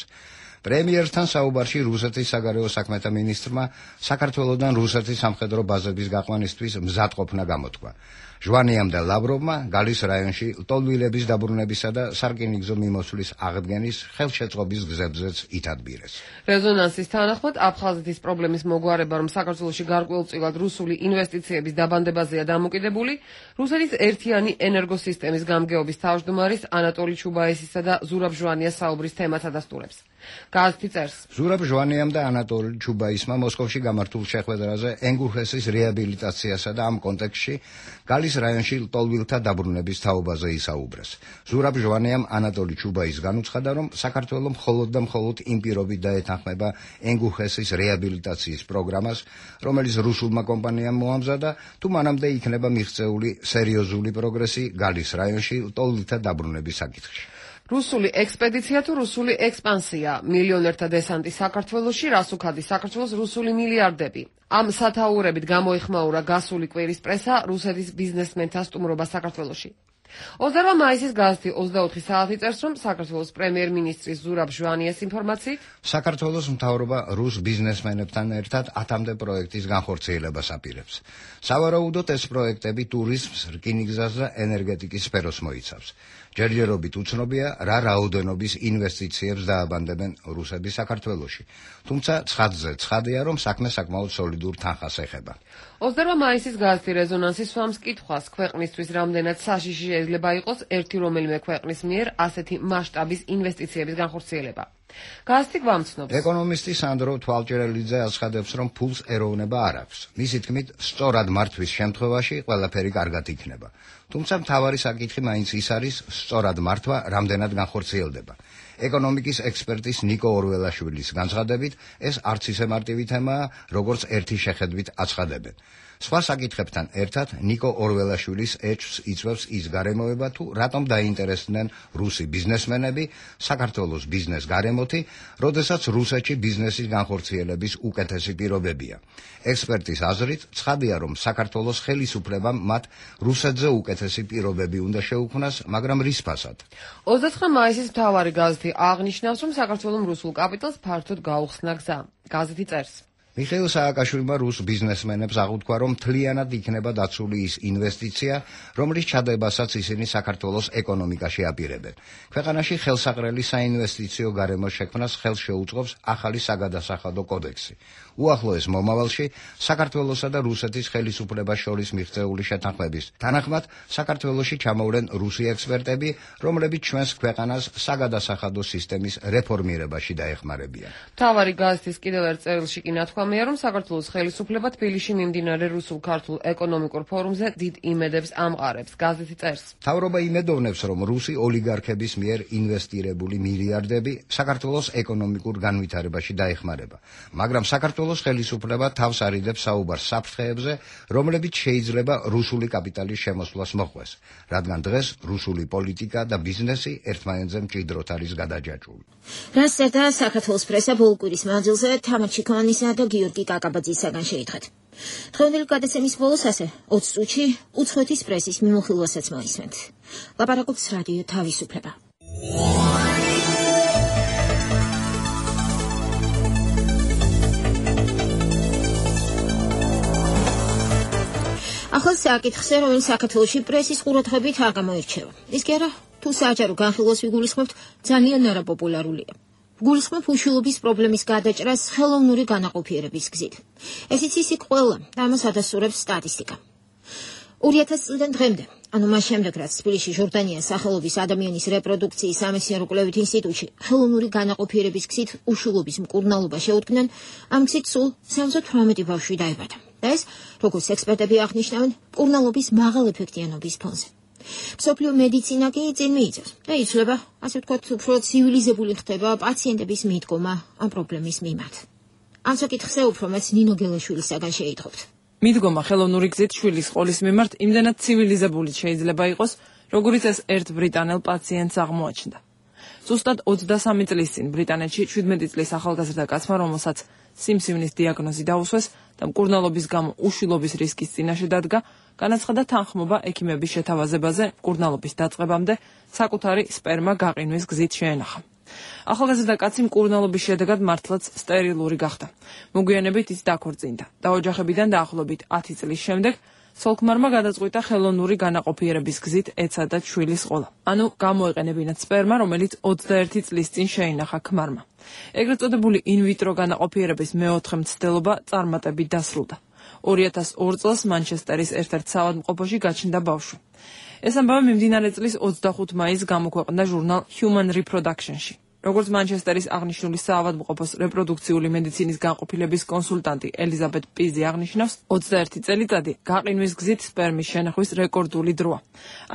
პრემიერთან საუბარში რუსეთის საგარეო საქმეთა მინისტრმა საქართველოდან რუსეთის სამხედრო ბაზების გაყვანისთვის მზადყოფნა გამოთქვა. ჟვანიამ და ლავროვმა გალის რაიონში ლტოლვილების დაბრუნებისა და სარკინიგზო მიმოსვლის აღდგენის ხელშეწყობის გზებზეც ითადბირეს. რეზონანსის თანახმად, აფხაზეთის პრობლემის მოგვარება, რომ საქართველოში გარკვეულწილად რუსული ინვესტიციების დაბანდებაზეა დამოკიდებული, რუსეთის ერთიანი ენერგოსისტემის გამგეობის თავმჯდომარის ანატოლი ჩუბაისისა და ზურაბ ჟვანიას საუბრის თემას ადასტურებს. გაზეთი წერს: ზურაბ ჟვანიამ და ანატოლი ჩუბაისმა მოსკოვში გამართულ შეხვედრაზე ენგურხესის რეაბილიტაციასა და ამ კონტექსტში გალის რაიონში ლტოლვილთა დაბრუნების თაობაზე ისაუბრეს. ზურაბ ჟვანიამ ანატოლი ჩუბაის განუცხადა, რომ საქართველო მხოლოდ და მხოლოდ იმ პირობით დაეთანხმება ენგურხესის რეაბილიტაციის პროგრამას, რომელიც რუსულმა კომპანიამ მოამზადა, თუ მანამდე იქნება მიღწეული სერიოზული პროგრესი გალის რაიონში ლტოლვილთა დაბრუნების საკითხში. რუსული ექსპედიცია თუ რუსული ექსპანსია, მილიონერთა დესანტი საქართველოში, რასუქადი საქართველოს რუსული მილიარდები. ამ სათაურებით გამოიხმაურა გასული კვირის პრესა რუსეთის ბიზნესმენთა სტუმრობა საქართველოში. 28 მაისის გაზეთი 24 საათი წერს, რომ საქართველოს პრემიერ-მინისტრის ზურაბ ჟვანიას ინფორმაციით, საქართველოს მთავრობა რუს ბიზნესმენებთან ერთად 10-მდე პროექტის განხორციელებას აპირებს. სავარაუდოდ ეს პროექტები ტურიზმს, რკინიგზას და ენერგეტიკის სფეროს მოიცავს. ჯერჯერობით უცნობია, რა რაოდენობის ინვესტიციებს დააბანდებენ რუსები საქართველოში. თუმცა ცხადზე ცხადია, რომ საქმე საკმაოდ სოლიდურ თანხას ეხება. 28 მაისის გაზეთი რეზონანსი swams კითხვას, ქვეყნისთვის რამდენად საშიში შეიძლება იყოს ერთი რომელიმე ქვეყნის მიერ ასეთი მასშტაბის ინვესტიციების განხორციელება. გაზეთი გვამცნობს. ეკონომისტი სანდრო თვალჭერელიძე აცხადებს, რომ ფულს ეროვნება არ აქვს. მისი თქმით, სწორად მართვის შემთხვევაში ყველაფერი კარგად იქნება. თუმცა მთავარი საკითხი მაინც ის არის, სწორად მართვა რამდენად განხორციელდება. ეკონომიკის ექსპერტის ნიკო ორველაშვილის განცხადებით, ეს არც ისე მარტივი თემაა, როგორც ერთი შეხედვით აცხადებენ. სხვა საკითხებთან ერთად ნიკო ორველაშვილის ეჭვს იწვევს ის გარემოება, თუ რატომ დაინტერესდნენ რუსი ბიზნესმენები საქართველოს ბიზნეს გარემოთი, როდესაც რუსეთში ბიზნესის განხორციელების უკეთესი პირობებია. ექსპერტის აზრით, ცხადია, რომ საქართველოს ხელისუფლებამ მათ რუსეთზე უკეთესი პირობები უნდა შეუქმნას, მაგრამ რის ფასად? 29 მაისის მთავარი გაზეთი აღნიშნავს, რომ საქართველოს რუსულ კაპიტალს ფართოდ გაუხსნა გზა. გაზეთი წერს: მიხეილ სააკაშვილმა რუს ბიზნესმენებს აღუთქვა, რომ მთლიანად იქნება დაცული ის ინვესტიცია, რომლის ჩადებასაც ისინი საქართველოს ეკონომიკაში აპირებენ. ქვეყანაში ხელსაყრელი საინვესტიციო გარემოს შექმნას ხელს შეუწყობს ახალი საგადასახადო კოდექსი. უახლოეს მომავალში საქართველოსა და რუსეთის ხელისუფლებას შორის მიღწეული შეთანხმების თანახმად საქართველოში ჩამოვლენ რუსი ექსპერტები, რომლებიც ჩვენს ქვეყანას საგადასახადო სისტემის რეფორმირებაში დაეხმარებიან. მთავარი გაზეთის კიდევ ერთ წერილში კი ნათქვამია, რომ საქართველოს ხელისუფლება თბილისში მიმდინარე რუსულ-ქართულ ეკონომიკურ ფორუმზე დიდ იმედებს ამყარებს. გაზეთი წერს: მთავრობა იმედოვნებს, რომ რუსი ოლიგარქების მიერ ინვესტირებული მილიარდები საქართველოს ეკონომიკურ განვითარებაში დაეხმარება, მაგრამ საქართველოს ხელისუფლება თავს არიდებს საუბარს საფრთხეებზე, რომლებიც შეიძლება რუსული კაპიტალის შემოსვლას მოხვეს, რადგან დღეს რუსული პოლიტიკა და ბიზნესი ერთმანეთზე მჭიდროდ არის გადაჯაჭვული. რას წერდა საქართველოს პრესა ბოლკვირის მანძილზე თამარ ჩიქოვანისა და გიორგი კაკაბაძისაგან შეითხრეთ. დღევანდელი გადაცემის ბოლოს ასე 20 წუთში უცხოეთის პრესის მიმოხილვასაც მოისმენთ. ლაპარაკობს რადიო თავისუფლება. ახალ საკითხზე, რომელიც საქართველოში პრესის ყურადღებით არ გამოირჩევა. ის კი არა, თუ საჯარო განხილვას ვიგულისხმებთ, ძალიან არაპოპულარულია. გულისხმობ უშუალობის პრობლემის გადაჭრას ხელოვნური განაყოფიერების გზით. ესიც ისიქ ყველა და ამას ადასტურებს სტატისტიკა. 2000 წლიდან დღემდე, ანუ მას შემდეგ, რაც თბილისში ჟორდანიას სახელობის ადამიანის რეპროდუქციის სამეცნიერო-კვლევით ინსტიტუტში ხელოვნური განაყოფიერების გზით უშუალობის მკურნალობა შეუდგნენ, ამ გზით სულ 78 ბავშვი დაიბადა. და ეს, როგორც ექსპერტები აღნიშნავენ, მკურნალობის მაღალეფექტიანობის ფონზე. მსოფლიო მედიცინა კი წინ მიიწევს და იცვლება, ასე ვთქვათ, უფრო ცივილიზებული ხდება პაციენტების მიდგომა ამ პრობლემის მიმართ. ამ საკითხზე უფრო მეც ნინო გელაშვილისაგან შეიტყობთ. მიდგომა ხელოვნური გზით შვილის ყოლის მიმართ იმდენად ცივილიზებული შეიძლება იყოს, როგორიც ეს ერთ ბრიტანელ პაციენტს აღმოაჩნდა. ზუსტად 23 წლის წინ ბრიტანეთში 17 წლის ახალგაზრდა კაცმა, რომელსაც სიმსივნის დიაგნოზი დაუსვეს და მკურნალობის გამო უშვილობის რისკის წინაშე დადგა, განაცხადა თანხმობა ექიმების შეთავაზებაზე მკურნალობის დაწყებამდე საკუთარი სპერმა გაყინვის გზით შეენახა. ახალგაზრდა კაცი მკურნალობის შედეგად მართლაც სტერილური გახდა. მოგვიანებით ის დაქორწინდა და ოჯახებიდან დაახლოებით 10 წლის შემდეგ სოლქმარმა გადაწყვიტა ხელოვნური განაყოფიერების გზით ეცადა შვილის ყოლა. ანუ გამოეყენებინათ სპერმა, რომელიც 21 წლის წინ შეინახა ქმარმა. ეგრეთ წოდებული ინვიტრო განაყოფიერების მეოთხე მცდელობა წარმატებით დასრულდა. 2002 წელს მანჩესტერის ერთ-ერთ საავადმყოფოში გაჩნდა ბავშვი. ეს ამბავი მიმდინარე წლის 25 მაისს გამოქვეყნდა ჟურნალ Human Reproduction-ში. როგორც მანჩესტერის აღნიშნული საავადმყოფოს რეპროდუქციული მედიცინის განყოფილების კონსულტანტი ელიზაბეთ პიზი აღნიშნავს, 21 წელიწადი გაყინვის გზით სპერმის შენახვის რეკორდული დროა.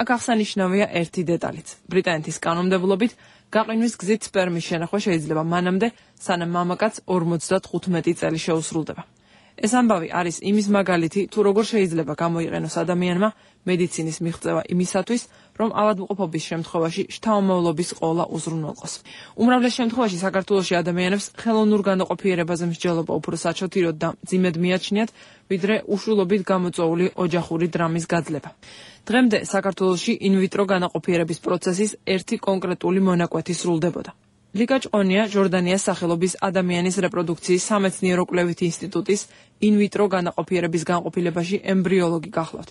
აქ აღსანიშნავია ერთი დეტალიც. ბრიტანეთის კანონმდებლობით გაყინვის გზით სპერმის შენახვა შეიძლება მანამდე, სანამ მამაკაც 55 წელი შეუსრულდება. ეს ამბავი არის იმის მაგალითი, თუ როგორ შეიძლება გამოიყენოს ადამიანმა მედიცინის მიღწევა იმისათვის, რომ ავადმყოფობის შემთხვევაში შთამომავლობის ყოლა უზრუნველყოს. უმრავლეს შემთხვევაში საქართველოში ადამიანებს ხელოვნურ განაყოფიერებაზე მსჯელობა უფრო საჩოთიროდ და მძიმედ მიაჩნიათ, ვიდრე უშვილობით გამოწვეული ოჯახური დრამის გაძლება. დღემდე საქართველოში ინვიტრო განაყოფიერების პროცესის ერთი კონკრეტული მონაკვეთი სრულდებოდა. ლიკა ჭყონია ჟორდანიას სახელობის ადამიანის რეპროდუქციის სამეცნიერო-კვლევით ინსტიტუტის ინვიტრო განაყოფიერების განყოფილებაში ემბრიოლოგი გახლავთ.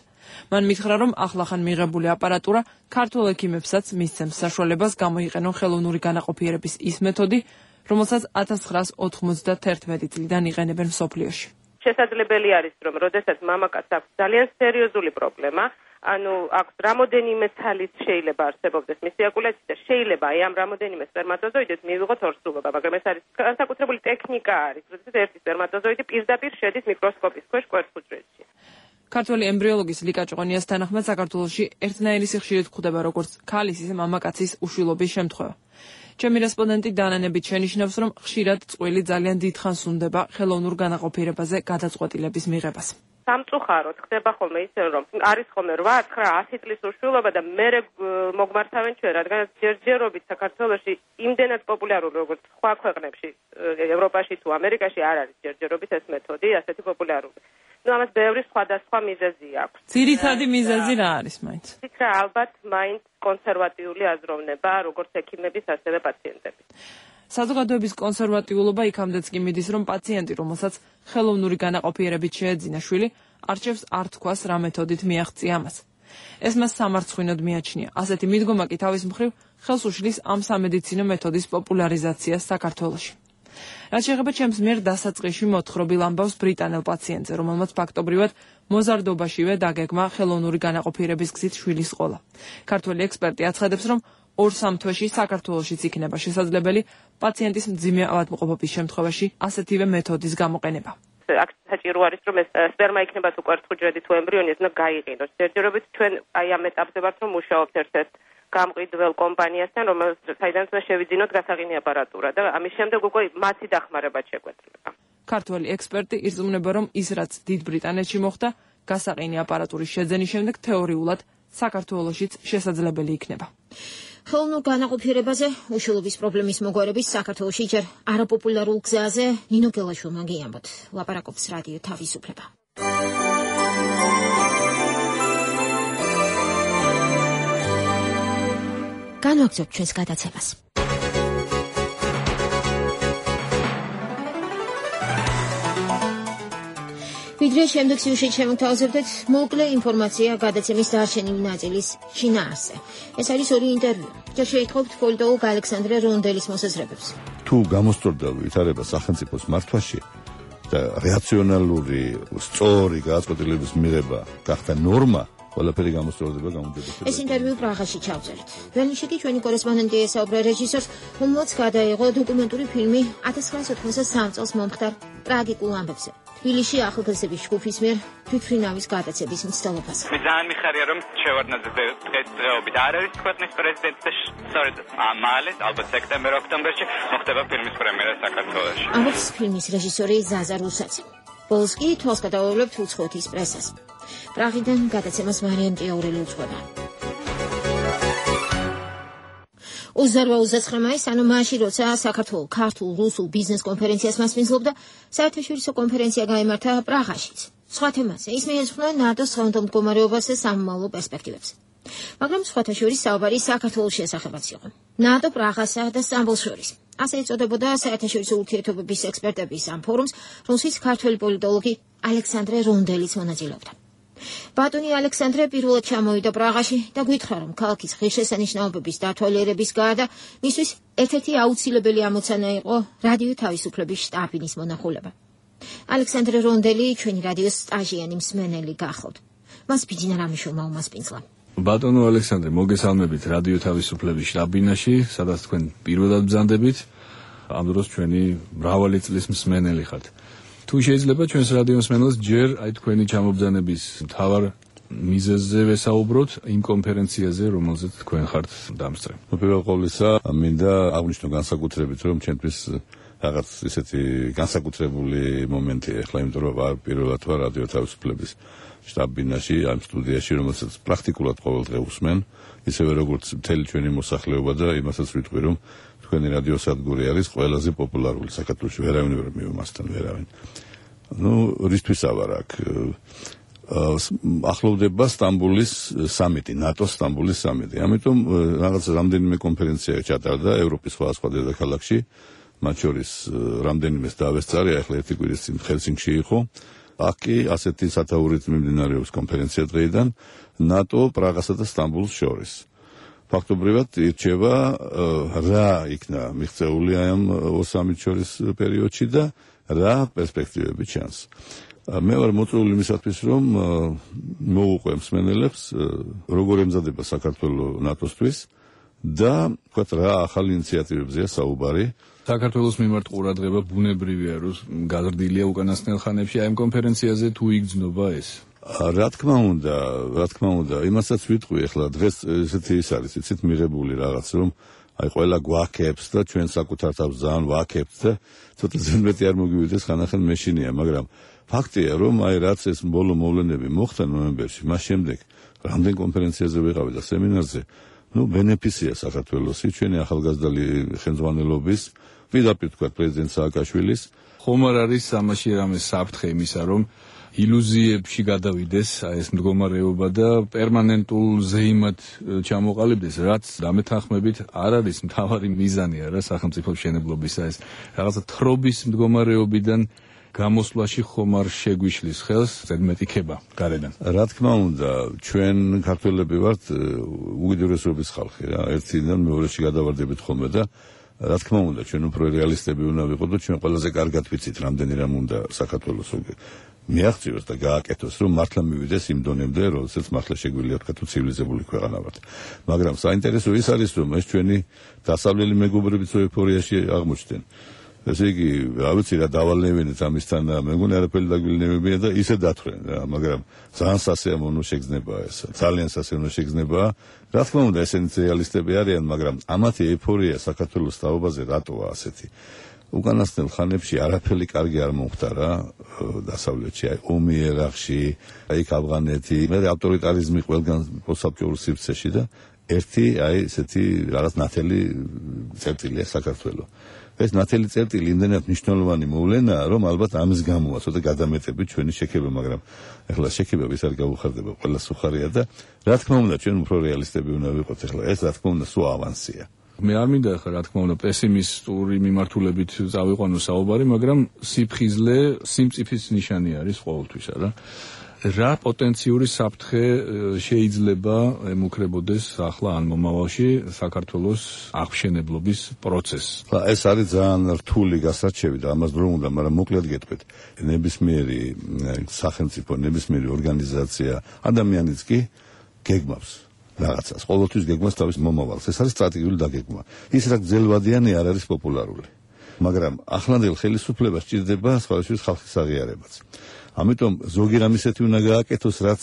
მან მითხრა, რომ ახლახან მიღებული აპარატურა ქართველ ექიმებსაც მისცემს საშუალებას გამოიყენონ ხელოვნური განაყოფიერების ის მეთოდი, რომელსაც 1991 წლიდან იყენებენ მსოფლიოში. შესაძლებელი არის, რომ როდესაც მამაკაცს აქვს ძალიან სერიოზული პრობლემა, ანუ აქვს რამოდენიმე თალის შეიძლება არსებობდეს მისი ეკულაცია და შეიძლება აი ამ რამოდენიმე სპერმატოზოიდით მივიღოთ ორსულობა, მაგრამ ეს არის განსაკუთრებული ტექნიკა არის, როდესაც ერთი სპერმატოზოიდი პირდაპირ შედის მიკროსკოპის ქვეშ კვერცხუჯრედში. ქართველი ემბრიოლოგის ლიკა ჭყონიას თანახმად საქართველოში ერთნაირი სიხშირით გვხვდება როგორც ქალის, ისე მამაკაცის უშვილობის შემთხვევა. ჩემი რესპონდენტი დანანებით შენიშნავს, რომ ხშირად წყვილი ძალიან დიდხანს უნდება ხელოვნურ განაყოფიერებაზე გადაწყვეტილების მიღებას. სამწუხაროდ ხდება ხოლმე ისე, რომ არის ხოლმე 8, 9, 10 წლის უშვილობა და მერე მოგმართავენ ჩვენ, რადგან ჯერჯერობით საქართველოში იმდენად პოპულარული როგორც სხვა ქვეყნებში, ევროპაში თუ ამერიკაში არ არის ჯერჯერობით ეს მეთოდი ასეთი პოპულარული. ნუ ამას ბევრი სხვადასხვა მიზეზი აქვს. ძირითადი მიზეზი რა არის მაინც? ვთქვა, ალბათ მაინც კონსერვატიული აზროვნება, როგორც ექიმების, ასევე პაციენტების. საზოგადოების კონსერვატიულობა იქამდეც კი მიდის, რომ პაციენტი, რომელსაც ხელოვნური განაყოფიერებით შეეძინა შვილი, არჩევს არ თქვას რა მეთოდით მიაღწია ამას. ეს მას სამარცხვინოდ მიაჩნია. ასეთი მიდგომა კი თავის მხრივ ხელს უშლის ამ სამედიცინო მეთოდის პოპულარიზაციას საქართველოში. რაც შეეხება ჩემს მიერ დასაწყისში მოთხრობილ ამბავს ბრიტანელ პაციენტზე, რომელმაც ფაქტობრივად მოზარდობაშივე დაგეგმა ხელოვნური განაყოფიერების გზით შვილის ყოლა. ქართველი ექსპერტი აცხადებს, რომ 2-3 თვეში საქართველოშიც იქნება შესაძლებელი პაციენტის მძიმე ავადმყოფობის შემთხვევაში ასეთივე მეთოდის გამოყენება. აქ საჭირო არის, რომ ეს სპერმა იქნება თუ კვერცხუჯრედი თუ ემბრიონი, ეს უნდა გაიყინოს. ჯერჯერობით ჩვენ აი ამ ეტაპზე ვართ, რომ მუშაობთ ერთ-ერთ გამყიდველ კომპანიასთან, საიდანაც შევიძინოთ გასაღინი აპარატურა და ამის შემდეგ უკვე მათი დახმარებაც შეგვეძლება. ქართველი ექსპერტი ირწმუნება, რომ ის რაც დიდ ბრიტანეთში მოხდა, გასაყინი აპარატურის შეძენის შემდეგ თეორიულად საქართველოშიც შესაძლებელი იქნება. ხელოვნურ განაყოფიერებაზე უშვილობის პრობლემის მოგვარების საქართველოში ჯერ არაპოპულარულ გზაზე ნინო გელაშვილმა გიამბოთ. ლაპარაკობს რადიო თავისუფლება. განვაგრძობთ ჩვენს გადაცემას. ვიდრე შემდეგ სიუჟეტში შემოგთავაზებდეთ მოკლე ინფორმაცია გადაცემის დარჩენილი ნაწილის შინაარსზე. ეს არის ორი ინტერვიუ. ჯერ შეითხოვთ პოლიტოლოგ ალექსანდრე რონდელის მოსაზრებებს. თუ გამოსწორდა ვითარება სახელმწიფოს მართვაში და რაციონალური, სწორი გადაწყვეტილების მიღება გახდა ნორმა, ყველაფერი გამოსწორდება გამუდმებით. ეს ინტერვიუ პრაღაში ჩავწერეთ. ველნიშიკი ჩვენი კორესპონდენტი ესაუბრა რეჟისორს, რომელმაც გადაიღო დოკუმენტური ფილმი 1993 წელს მომხდარ ტრაგიკულ ამბებზე. თბილისში ახალგაზრდების ჯგუფის მიერ თვითმფრინავის გადაცემის მცდელობაზე. მე ძალიან მიხარია, რომ შევარდნაძე დღესდღეობით არ არის ქვეყნის პრეზიდენტი და სწორედ მალე, ალბათ სექტემბერ-ოქტომბერში მოხდება ფილმის პრემიერა საქართველოში. ამბობს ფილმის რეჟისორი ზაზა რუსაცი. ბოლოს კი თვალს გადავავლებთ უცხოეთის პრესას. პრაღიდან გადაცემას მარიამ ჭიაურელი უძღვება. 28-29 მაისს, ანუ მაშინ, როცა საქართველოს ქართულ-რუსულ ბიზნეს კონფერენციას მასპინძლობდა, საერთაშორისო კონფერენცია გაიმართა პრაღაშიც. სხვა თემაზე ის მიეძღვნა ნატოს დღევანდელ მდგომარეობას და სამომავლო პერსპექტივებს. მაგრამ სხვათა შორის საუბარი საქართველოს შესახებაც იყო. ნატო პრაღასა და სტამბოლს შორის. ასე ეწოდებოდა საერთაშორისო ურთიერთობების ექსპერტების ამ ფორუმს, რომელშიც ქართველი პოლიტოლოგი ალექსანდრე რონდელიც მონაწილეობდა. ბატონი ალექსანდრე პირველად ჩამოვიდა პრაღაში და გითხრა, რომ ქალაქის ღირსშესანიშნაობების დათვალიერების გარდა მისთვის ერთ-ერთი აუცილებელი ამოცანა იყო რადიო თავისუფლების შტაბის მონახულება. ალექსანდრე რონდელი ჩვენი რადიოს სტაჟიანი მსმენელი გახლავთ. მას ბიძინა რამიშოვმა უმასპინძლა. ბატონო ალექსანდრე, მოგესალმებით რადიო თავისუფლების შტაბინაში, სადაც თქვენ პირველად ბრძანდებით. ამ დროს ჩვენი მრავალი წლის მსმენელი ხართ. თუ შეიძლება ჩვენს რადიო მსმენელს ჯერ თქვენი ჩამობრძანების მთავარ მიზეზზე ვესაუბროთ იმ კონფერენციაზე, რომელზეც თქვენ ხართ დამსწრე. პირველ ყოვლისა, მინდა აღვნიშნო განსაკუთრებით, რომ ჩვენთვის რაღაც ისეთი განსაკუთრებული მომენტია ახლა, იმიტომ რომ პირველად ვარ რადიო თავისუფლების შტაბ-ბინაში, ამ სტუდიაში, რომელსაც პრაქტიკულად ყოველდღე უსმენ, ისევე როგორც მთელი ჩვენი მოსახლეობა და იმასაც ვიტყვი, რომ თქვენი რადიოსადგური არის ყველაზე პოპულარული საქართველოში, ვერავინ ვერ მივმასთან, ვერავინ. რისთვის ავარ აქ? ახლოვდება სტამბოლის სამიტი, ნატოს სტამბოლის სამიტი. ამიტომ რაღაც რამდენიმე კონფერენცია ჩატარდა ევროპის სხვადასხვა დედაქალაქში, მათ შორის რამდენიმეს დავესწარი, ახლა ერთი კვირის წინ ჰელსინკში იყო. აქ კი ასეთი სათაურით მიმდინარეობს კონფერენცია დღეიდან ნატო პრაღასა და სტამბოლს შორის. ფაქტობრივად ირჩევა რა იქნა მიღწეული ამ სამით შორის პერიოდში და რა პერსპექტივები ჩანს. მე ვარ მოწვეული იმისათვის, რომ მოვუყვე მსმენელებს, როგორ ემზადება საქართველოს ნატოსთვის და თქვათ რა ახალი ინიციატივებზეა საუბარი. საქართველოს მიმართ ყურადღება ბუნებრივია, რომ გაზრდილია უკანასკნელ ხანებში აი ამ კონფერენციაზე თუ იგრძნობა ეს. რა თქმა უნდა, იმასაც ვიტყვი ახლა დღეს ესეთი ის არის, იცით, მიღებული რაღაც, რომ აი ყველა გვაქებს და ჩვენ საკუთარ თავს ძალიან ვაქებთ და ცოტა ზემმეტი არ მოგივიდეს ხანახან მეშინია, მაგრამ ფაქტია, რომ აი რაც ეს ბოლო მოვლენები მოხდა ნოემბერში, მას შემდეგ რამდენ კონფერენციაზე ვიყავი და სემინარზე, ბენეფიცია საქართველოსი, ჩვენი ახალგაზრდული ხელმძღვანელობის, პირდაპირ თქვა პრეზიდენტ სააკაშვილის. ხომ არ არის ამაში რამე საფრთხე იმისა, რომ ილუზიებში გადავიდეს ეს მდგომარეობა და პერმანენტულ ზეიმად ჩამოყალიბდეს, რაც დამეთანხმებით არ არის მთავარი მიზანი არა სახელმწიფოს მშენებლობისა, ეს რაღაცა თხრობის მდგომარეობიდან გამოსვლაში ხომ არ შეგვიშლის ხელს ზედმეტი ქება გარედან. რა თქმა უნდა, ჩვენ ქართველები ვართ უკიდურესობის ხალხი რა, ერთიდან მეორეში გადავარდებით ხოლმე და რა თქმა უნდა, ჩვენ უფრო რეალისტები უნდა ვიყოთ და ჩვენ ყველაზე კარგად ვიცით, რამდენი რამ უნდა საქართველოს მიაღწიოს და გააკეთოს, რომ მართლა მივიდეს იმ დონემდე, როდესაც მართლა შეგვიძლია თქვა თუ ცივილიზებული ქვეყანა ვართ. მაგრამ საინტერესო ის არის, რომ ეს ჩვენი დასავლელი მეგობრებიც ეუფორიაში აღმოჩნდნენ. ესე იგი, რა ვიცი რა დავალნევინეთ ამისთან და მე მგონი არაფერი დაგვილნევებია და ისე დათხრენ რა, მაგრამ ძალიან სასიამოვნო შეგრძნებაა ეს. ძალიან სასიამოვნო შეგრძნებაა. რა თქმა უნდა, ესენიც რეალისტები არიან, მაგრამ ამათი ეუფორია საქართველოს თაობაზე რატოა ასეთი? უკანასკნელ ხანებში არაფერი კარგი არ მომხდარა დასავლეთში, აი ომი ერაყში, აი ავღანეთი, მე ავტორიტარიზმი ყველგან პოსტსაბჭოურ სივრცეში და ერთი აი ესეთი რაღაც ნათელი წერტილია საქართველოს. ეს ნათელი წერტილი იმდენად მნიშვნელოვანი მოვლენაა, რომ ალბათ ამის გამოა ცოტა გადამეტებით ჩვენი შექება, მაგრამ ეხლა შექება ვის არ გაუხარდება, ყველა სუხარია და რა თქმა უნდა ჩვენ უფრო რეალისტები უნდა ვიყოთ ეხლა, ეს რა თქმა უნდა სულ ავანსია. მე არ მინდა ხა რა თქმა უნდა პესიმისტური მიმართულებით წავიყვანო საუბარი, მაგრამ სიფხიზლე სიმწიფის ნიშანი არის ყოველთვის, რა პოტენციური საფრთხე შეიძლება ემუქრებოდეს ახლა ან მომავალში საქართველოს აღშენებლობის პროცესს. ეს არის ძალიან რთული გასარჩევი და ამას დრო უნდა, მაგრამ მოკლედ გეტყვით. ნებისმიერი სახელმწიფო, ნებისმიერი ორგანიზაცია, ადამიანიც კი გეგმავს რაღაცას. ყოველთვის გეგმავს თავის მომავალს. ეს არის სტრატეგიული დაგეგმა. ის რა გრძელვადიანი არ არის პოპულარული. მაგრამ ახლანდელ ხელისუფლებას სჭირდება სხვადასხვა ხალხის აღიარებაც. ამიტომ ზოგი რამ ისეთი უნდა გააკეთოს, რაც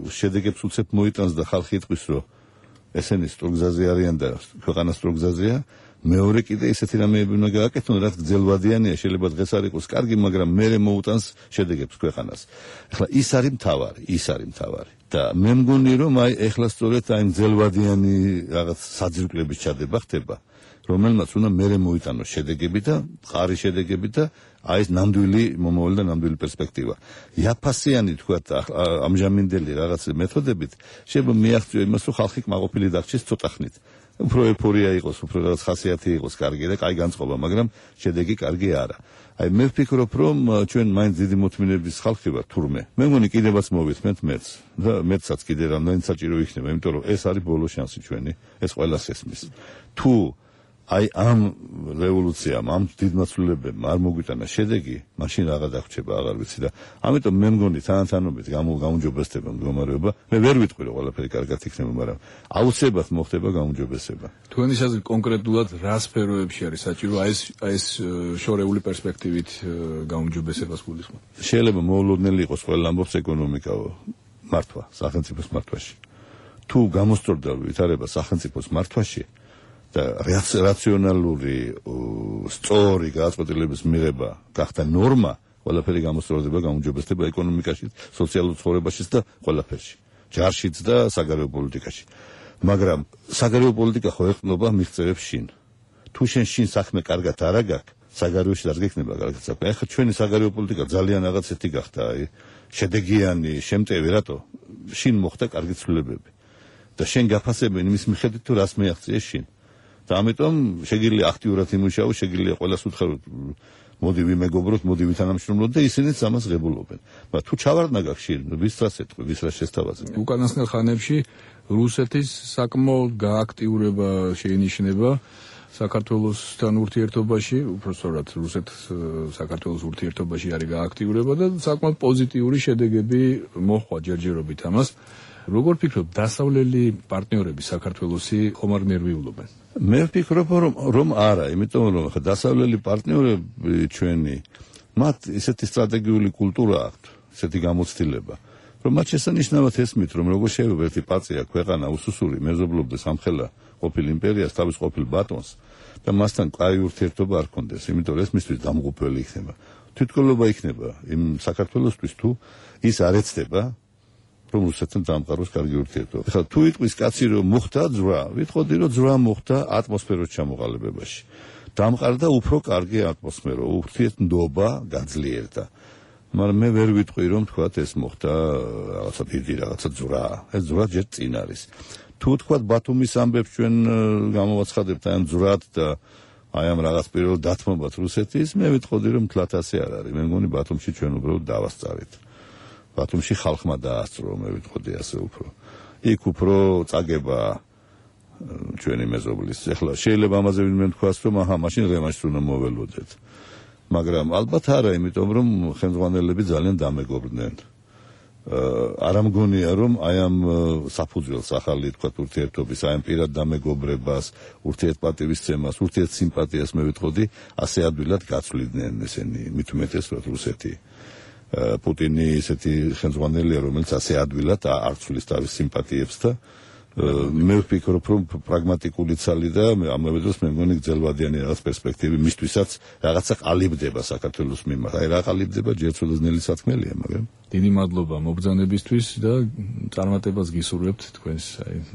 შედეგებს უცებ მოიტანს და ხალხი იტყვის, რომ ესენი სტრუგზაზე არიან და ქვეყანა სტრუგზაზეა. მეორე კიდე ისეთი რამეები უნდა გააკეთონ, რაც გრძელვადიანია, შეიძლება დღეს არ იყოს კარგი, მაგრამ მერე მოუტანს შედეგებს ქვეყანას. ახლა ის არის მთავარი. და მე მგონი, რომ ეხლა სწორედ გრძელვადიანი რაღაც საძირკვლების ჩადება ხდება, რომელმაც უნდა მერე მოიტანოს შედეგები და მყარი შედეგები და ეს ნამდვილი მომავალი და ნამდვილი პერსპექტივა. იაფასიანი თქვა ამჟამინდელი რაღაც მეთოდებით შეიძლება მიაღწიო იმას, რომ ხალხი კმაყოფილი დარჩეს ცოტა ხნით. უფრო ეფორია იყოს, უფრო რაღაც ხასიათი იყოს კარგი და კაი განწყობა, მაგრამ შედეგი კარგი არა. მე ვფიქრობ, რომ ჩვენ მაინც დიდი მოთმინების ხალხი ვართ თურმე. მე მგონი კიდევაც მოვისმენთ მეც და მეცაც კიდე რამდენი საჭირო იქნება, იმიტომ რომ ეს არის ბოლო შანსი ჩვენი, ეს ყველას ესმის. თუ ამ რევოლუციამ, ამ დიდმაცვლებებმა არ მოგვიტანა შედეგი, მაშინ რაღა დაგვრჩება, აღარ ვიცი და ამიტომ მე მგონი თანათანობით გაუმჯობესდება მდგომარეობა. მე ვერ ვიტყვი რომ ყველაფერი კარგად იქნება, მაგრამ აუცილებლად მოხდება გაუმჯობესება. თქვენი აზრით კონკრეტულად რა სფეროებში არის საჭირო ეს შორეული პერსპექტივით გაუმჯობესებას გულისხმობ? შეიძლება მოულოდნელი იყოს ყველა ამბობს ეკონომიკა მართვა, სახელმწიფოს მართვაში. თუ გამოსწორდა ვითარება სახელმწიფოს მართვაში და რაციონალური სწორი გადაწყვეტილების მიღება გახდა ნორმა, ყველაფერი გამოსწორდება, გაუმჯობესდება ეკონომიკაში, სოციალურ ცხოვრებაშიც და ყველაფერში, ჯარშიც და საგარეო პოლიტიკაში. მაგრამ საგარეო პოლიტიკა ხო ეყრდნობა მიღწევებს შინ. თუ შენ შინ საქმე კარგად არ აგაქვს, საგარეოში არ გექნება კარგად საქმე. ახლა ჩვენი საგარეო პოლიტიკა ძალიან რაღაცეთი გახდა, შედეგიანი, შემტევი, რატო? შინ მოხდა კარგი ცვლილებები. და შენ გაფასებენ იმის მიხედვით, თუ რას მიაღწიეს შინ. და ამიტომ შეგიძლია აქტიურად იმუშაო, შეგიძლია ყველას უთხროთ, მოდი ვიმეგობროთ, მოდი ვითანამშრომლოთ და ისინიც ამას ღებულობენ. მაგრამ თუ ჩავარდნა გაქვს შინ, ვის რას ეთქვი, ვის რას შესთავაზებ? უკანასკნელ ხანებში რუსეთის საკმაოდ გააქტიურება შეინიშნება საქართველოსთან ურთიერთობაში, უბრალოდ რუსეთ-საქართველოს ურთიერთობაში არის გააქტიურება და საკმაოდ პოზიტიური შედეგები მოჰყვა ჯერჯერობით ამას. როგორ ფიქრობ, დასავლელი პარტნიორები საქართველოსი ხომ არ ნერვიულობენ? მე ვფიქრობ, რომ არა, იმიტომ რომ დასავლელი პარტნიორები ჩვენი, მათ ისეთი სტრატეგიული კულტურა აქვთ, ისეთი გამოცდილება, რომ მათ შესანიშნავად ესმით, რომ როგორ შეიძლება ერთი პარტია ქვეყანა უსუსური მეზობლობდეს ამხელა ყოფილ იმპერიას, თავის ყოფილ ბატონს და მასთან კაი ურთიერთობა არ ქონდეს, იმიტომ რომ ეს მისთვის დამღუპველი იქნება. თვითმკვლელობა იქნება იმ საქართველოსთვის, თუ ის არ ეცდება რომ რუსეთთან დამყაროს კარგი ურთიერთობა. ახლა თუ იტყვის კაცი რომ მოხდა ძვრა, ვიტყოდი რომ ძვრა მოხდა ატმოსფეროს ჩამოყალიბებაში. დამყარდა უფრო კარგი ატმოსფერო, ურთიერთობა გაძლიერდა. მაგრამ მე ვერ ვიტყვი რომ თქვათ ეს მოხდა რაღაცა დიდი რაღაცა ძვრა. ეს ძვრა ჯერ წინ არის. თუ თქვათ ბათუმის ამბებს ჩვენ გამოვაცხადებთ ამ ძვრად და ამ რაღაც პირველ დათმობათ რუსეთის, მე ვიტყოდი რომ თლათ ასე არ არის. მე მგონი ბათუმში ჩვენ უბრალოდ დავასწარით. ბათუმში ხალხმა დაასწრო, მე ვიტყოდი ასე უფრო. იქ უფრო წაგება ჩვენი მეზობლის. ახლა შეიძლება ამაზე ვინმე თქვას, რომ მაშინ რემანშს უნდა მოველოდეთ. მაგრამ ალბათ არა, იმიტომ რომ ხელმძღვანელები ძალიან დამეგობრდნენ. არ ამგონია რომ ამ საფუძველს ახალი თქვა ურთიერთობის, ამ პირად დამეგობრებას, ურთიერთპატივისცემას, ურთიერთსიმპათიას მე ვიტყოდი, ასე ადვილად გაცვლიდნენ ესენი, მით უმეტეს რუსეთი. პუტინი ისეთი ხელმძღვანელია, რომელიც ასე ადვილად არ ცვლის თავის სიმპათიებს და მე ვფიქრობ, რომ პრაგმატიკული ცალი და ამავე დროს მე მგონი გრძელვადიანი რაღაც პერსპექტივი მისთვისაც რაღაცა ყალიბდება საქართველოს მიმართ. რა ყალიბდება, ჯერ ცუდნელი სათქმელია, მაგრამ დიდი მადლობა მობრძანებისთვის და წარმატებას გისურვებთ თქვენს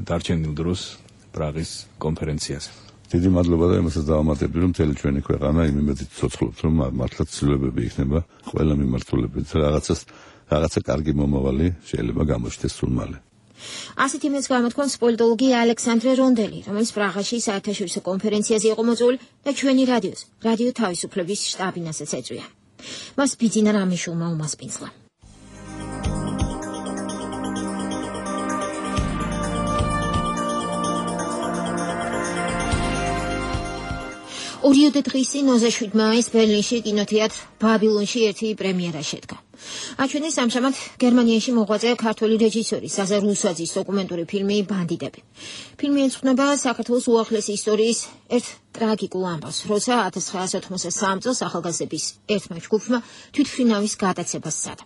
დარჩენილ დროს პრაღის კონფერენციაზე. დიდი მადლობა და იმასაც დავამატებდი, რომ მთელი ჩვენი ქვეყანა იმ იმედით ცოცხლობს, რომ მართლაც ცვლილებები იქნება ყველა მიმართულებით, რაღაცა კარგი მომავალი შეიძლება გამოჩნდეს სულ მალე. ასეთ იმედს გამოთქვამს პოლიტოლოგი ალექსანდრე რონდელი, რომელიც პრაღაში საერთაშორისო კონფერენციაზე იყო მოწვეული და ჩვენი რადიო თავისუფლების შტაბინასაც ეწვია. მას ბიძინა რამიშულმა უმასპინძლა. ორიოდე დღის წინ 27 მაისს ბერლინში კინოთეატრ ბაბილონში ერთი პრემიერა შედგა. აჩვენეს ამჟამად გერმანიაში მოღვაწე ქართველი რეჟისორი ზაზა რუსაძის დოკუმენტური ფილმი ბანდიტები. ფილმი ეძღვნება საქართველოს უახლესი ისტორიის ერთ ტრაგიკულ ამბავს, როცა 1983 წელს ახალგაზრდების ერთმა ჯგუფმა თვითმფრინავის გადაცემას სცადა.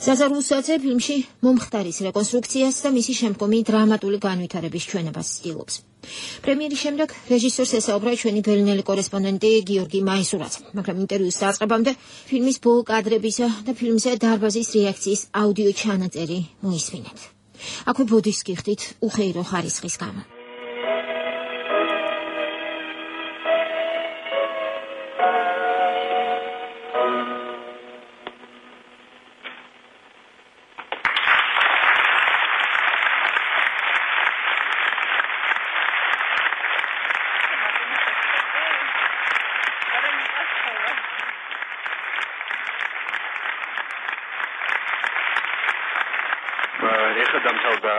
ზაზა რუსაძე ფილმში მომხდარის რეკონსტრუქციას და მისი შემდგომი დრამატული განვითარების ჩვენებას ცდილობს. პრემიერის შემდეგ რეჟისორს ესაუბრა ჩვენი ბერლინელი კორესპონდენტი გიორგი მაისურაძე, მაგრამ ინტერვიუს დაწყებამდე ფილმის ბოლო კადრებისა და ფილმზე დარბაზის რეაქციის აუდიო ჩანაწერი მოისმინეთ. აქვე ბოდის გიხდით უხეირო ხარისხის გამო. ეხლა დამთავრდა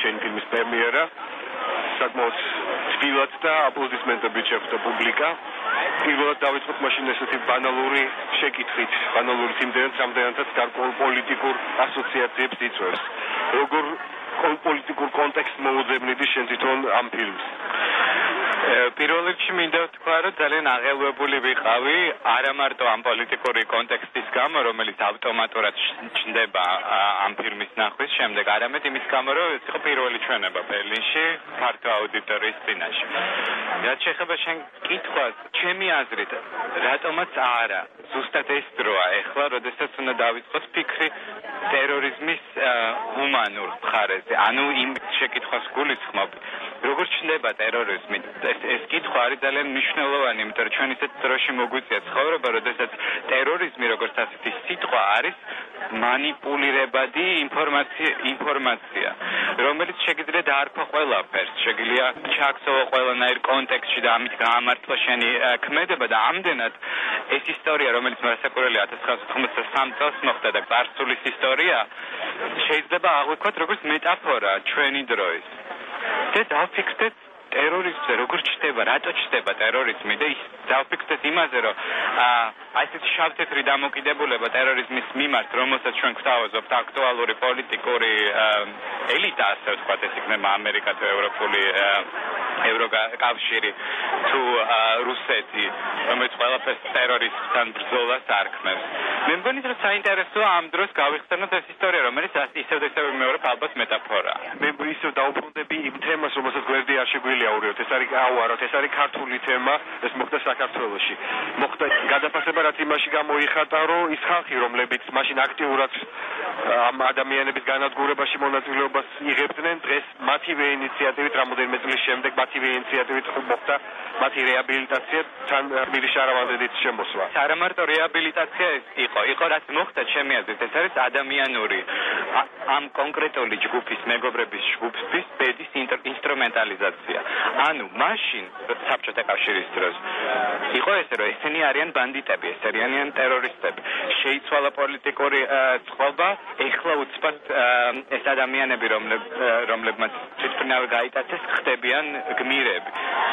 შენი ფილმის პრემიერა. საკმაოდ თბილად და აპლოდისმენტებით შეხვდა პუბლიკა. პირველად დავიწყოთ მაშინ ესეთი ბანალური შეკითხვით, ბანალური იმდენად, რამდენადაც გარკვეულ პოლიტიკურ ასოციაციებს იწვევს. როგორ პოლიტიკურ კონტექსტს მოუძებნიდი შენ თვითონ ამ ფილმს? პირველ რიგში მინდა ვთქვა, რომ ძალიან აღელვებული ვიყავი არა მარტო ამ პოლიტიკური კონტექსტის გამო, რომელიც ავტომატურად ჩნდება ამ ფილმის ნახვის შემდეგ, არამედ იმის გამო, რომ ეს იყო პირველი ჩვენება ბერლინში ფართო აუდიტორიის წინაშე. რაც შეეხება შენ კითხვას, ჩემი აზრით, რატომაც არა, ზუსტად ეს დროა ეხლა, როდესაც უნდა დავიწყოთ ფიქრი ტერორიზმის ჰუმანურ მხარეზე. ანუ იმ შეკითხვას გულისხმობ, როგორ ჩნდება ტერორიზმი? ეს კითხვა არის ძალიან მნიშვნელოვანი, იმიტომ რომ ჩვენ ისეთ დროში მოგვიწია ცხოვრება, როდესაც ტერორიზმი როგორც ასეთი სიტყვა არის მანიპულირებადი ინფორმაცია, რომელიც შეგიძლია დაარქვა ყველაფერს, შეგიძლია ჩააქცევა ყველანაირ კონტექსტში და ამით გაამართლა შენი ქმედება და ამდენად ეს ისტორია, რომელიც მოსაკვირველია 1993 წელს მოხდა და წარსულის ისტორია, შეიძლება აღვიქვათ როგორც მეტაფორა ჩვენი დროის. და დავფიქრდეთ ტერორიზმზე როგორ ჩნდება, რატო ჩნდება ტერორიზმი და ის დავფიქრდეთ იმაზე, რომ აი ეს შავ-თეთრი დამოკიდებულება ტერორიზმის მიმართ, რომელსაც ჩვენ გვთავაზობთ აქტუალური პოლიტიკური ელიტა, ასე ვთქვათ, ეს იქნება ამერიკა თუ ევროპული ევროკავშირი თუ რუსეთი, რომელიც ყველაფერს ტერორიზმთან ბრძოლას არქმევს. მე მგონი, რომ საინტერესოა ამ დროს გავიხსენოთ ეს ისტორია, რომელიც ისევ და ისევ მეორე ალბათ მეტაფორაა. მე ისევ დაუბრუნდები იმ თემას, რომელსაც გვერდი არ შეგვიძლია აუაროთ. ეს არის აუაროთ, ეს არის ქართული თემა, ეს მოხდა საქართველოში. მოხდა გადაფასება, რაც იმაში გამოიხატა, რომ ის ხალხი, რომლებიც მაშინ აქტიურად ამ ადამიანების განადგურებაში მონაწილეობას იღებდნენ, დღეს მათივე ინიციატივით რამოდენიმე წლის შემდეგ მათივე ინიციატივით მოხდა მათი რეაბილიტაცია თან გმირი შარავანძედის შემოსვლა. არა მარტო რეაბილიტაცია იყო რაც მოხდა ჩემი აზრით, ეს არის ადამიანური ამ კონკრეტული ჯგუფის მეგობრების ჯგუფის ბედის ინსტრუმენტალიზაცია. ანუ მაშინ საბჭოთა კავშირის დროს იყო ესე, რომ ესენი არიან ბანდიტები, ეს არიან ტერორისტები. შეიცვალა პოლიტიკური წყობა, ეხლა უცბად ეს ადამიანები, რომლებმაც თვითმფრინავი გაიტაცეს, ხდებიან გმირები.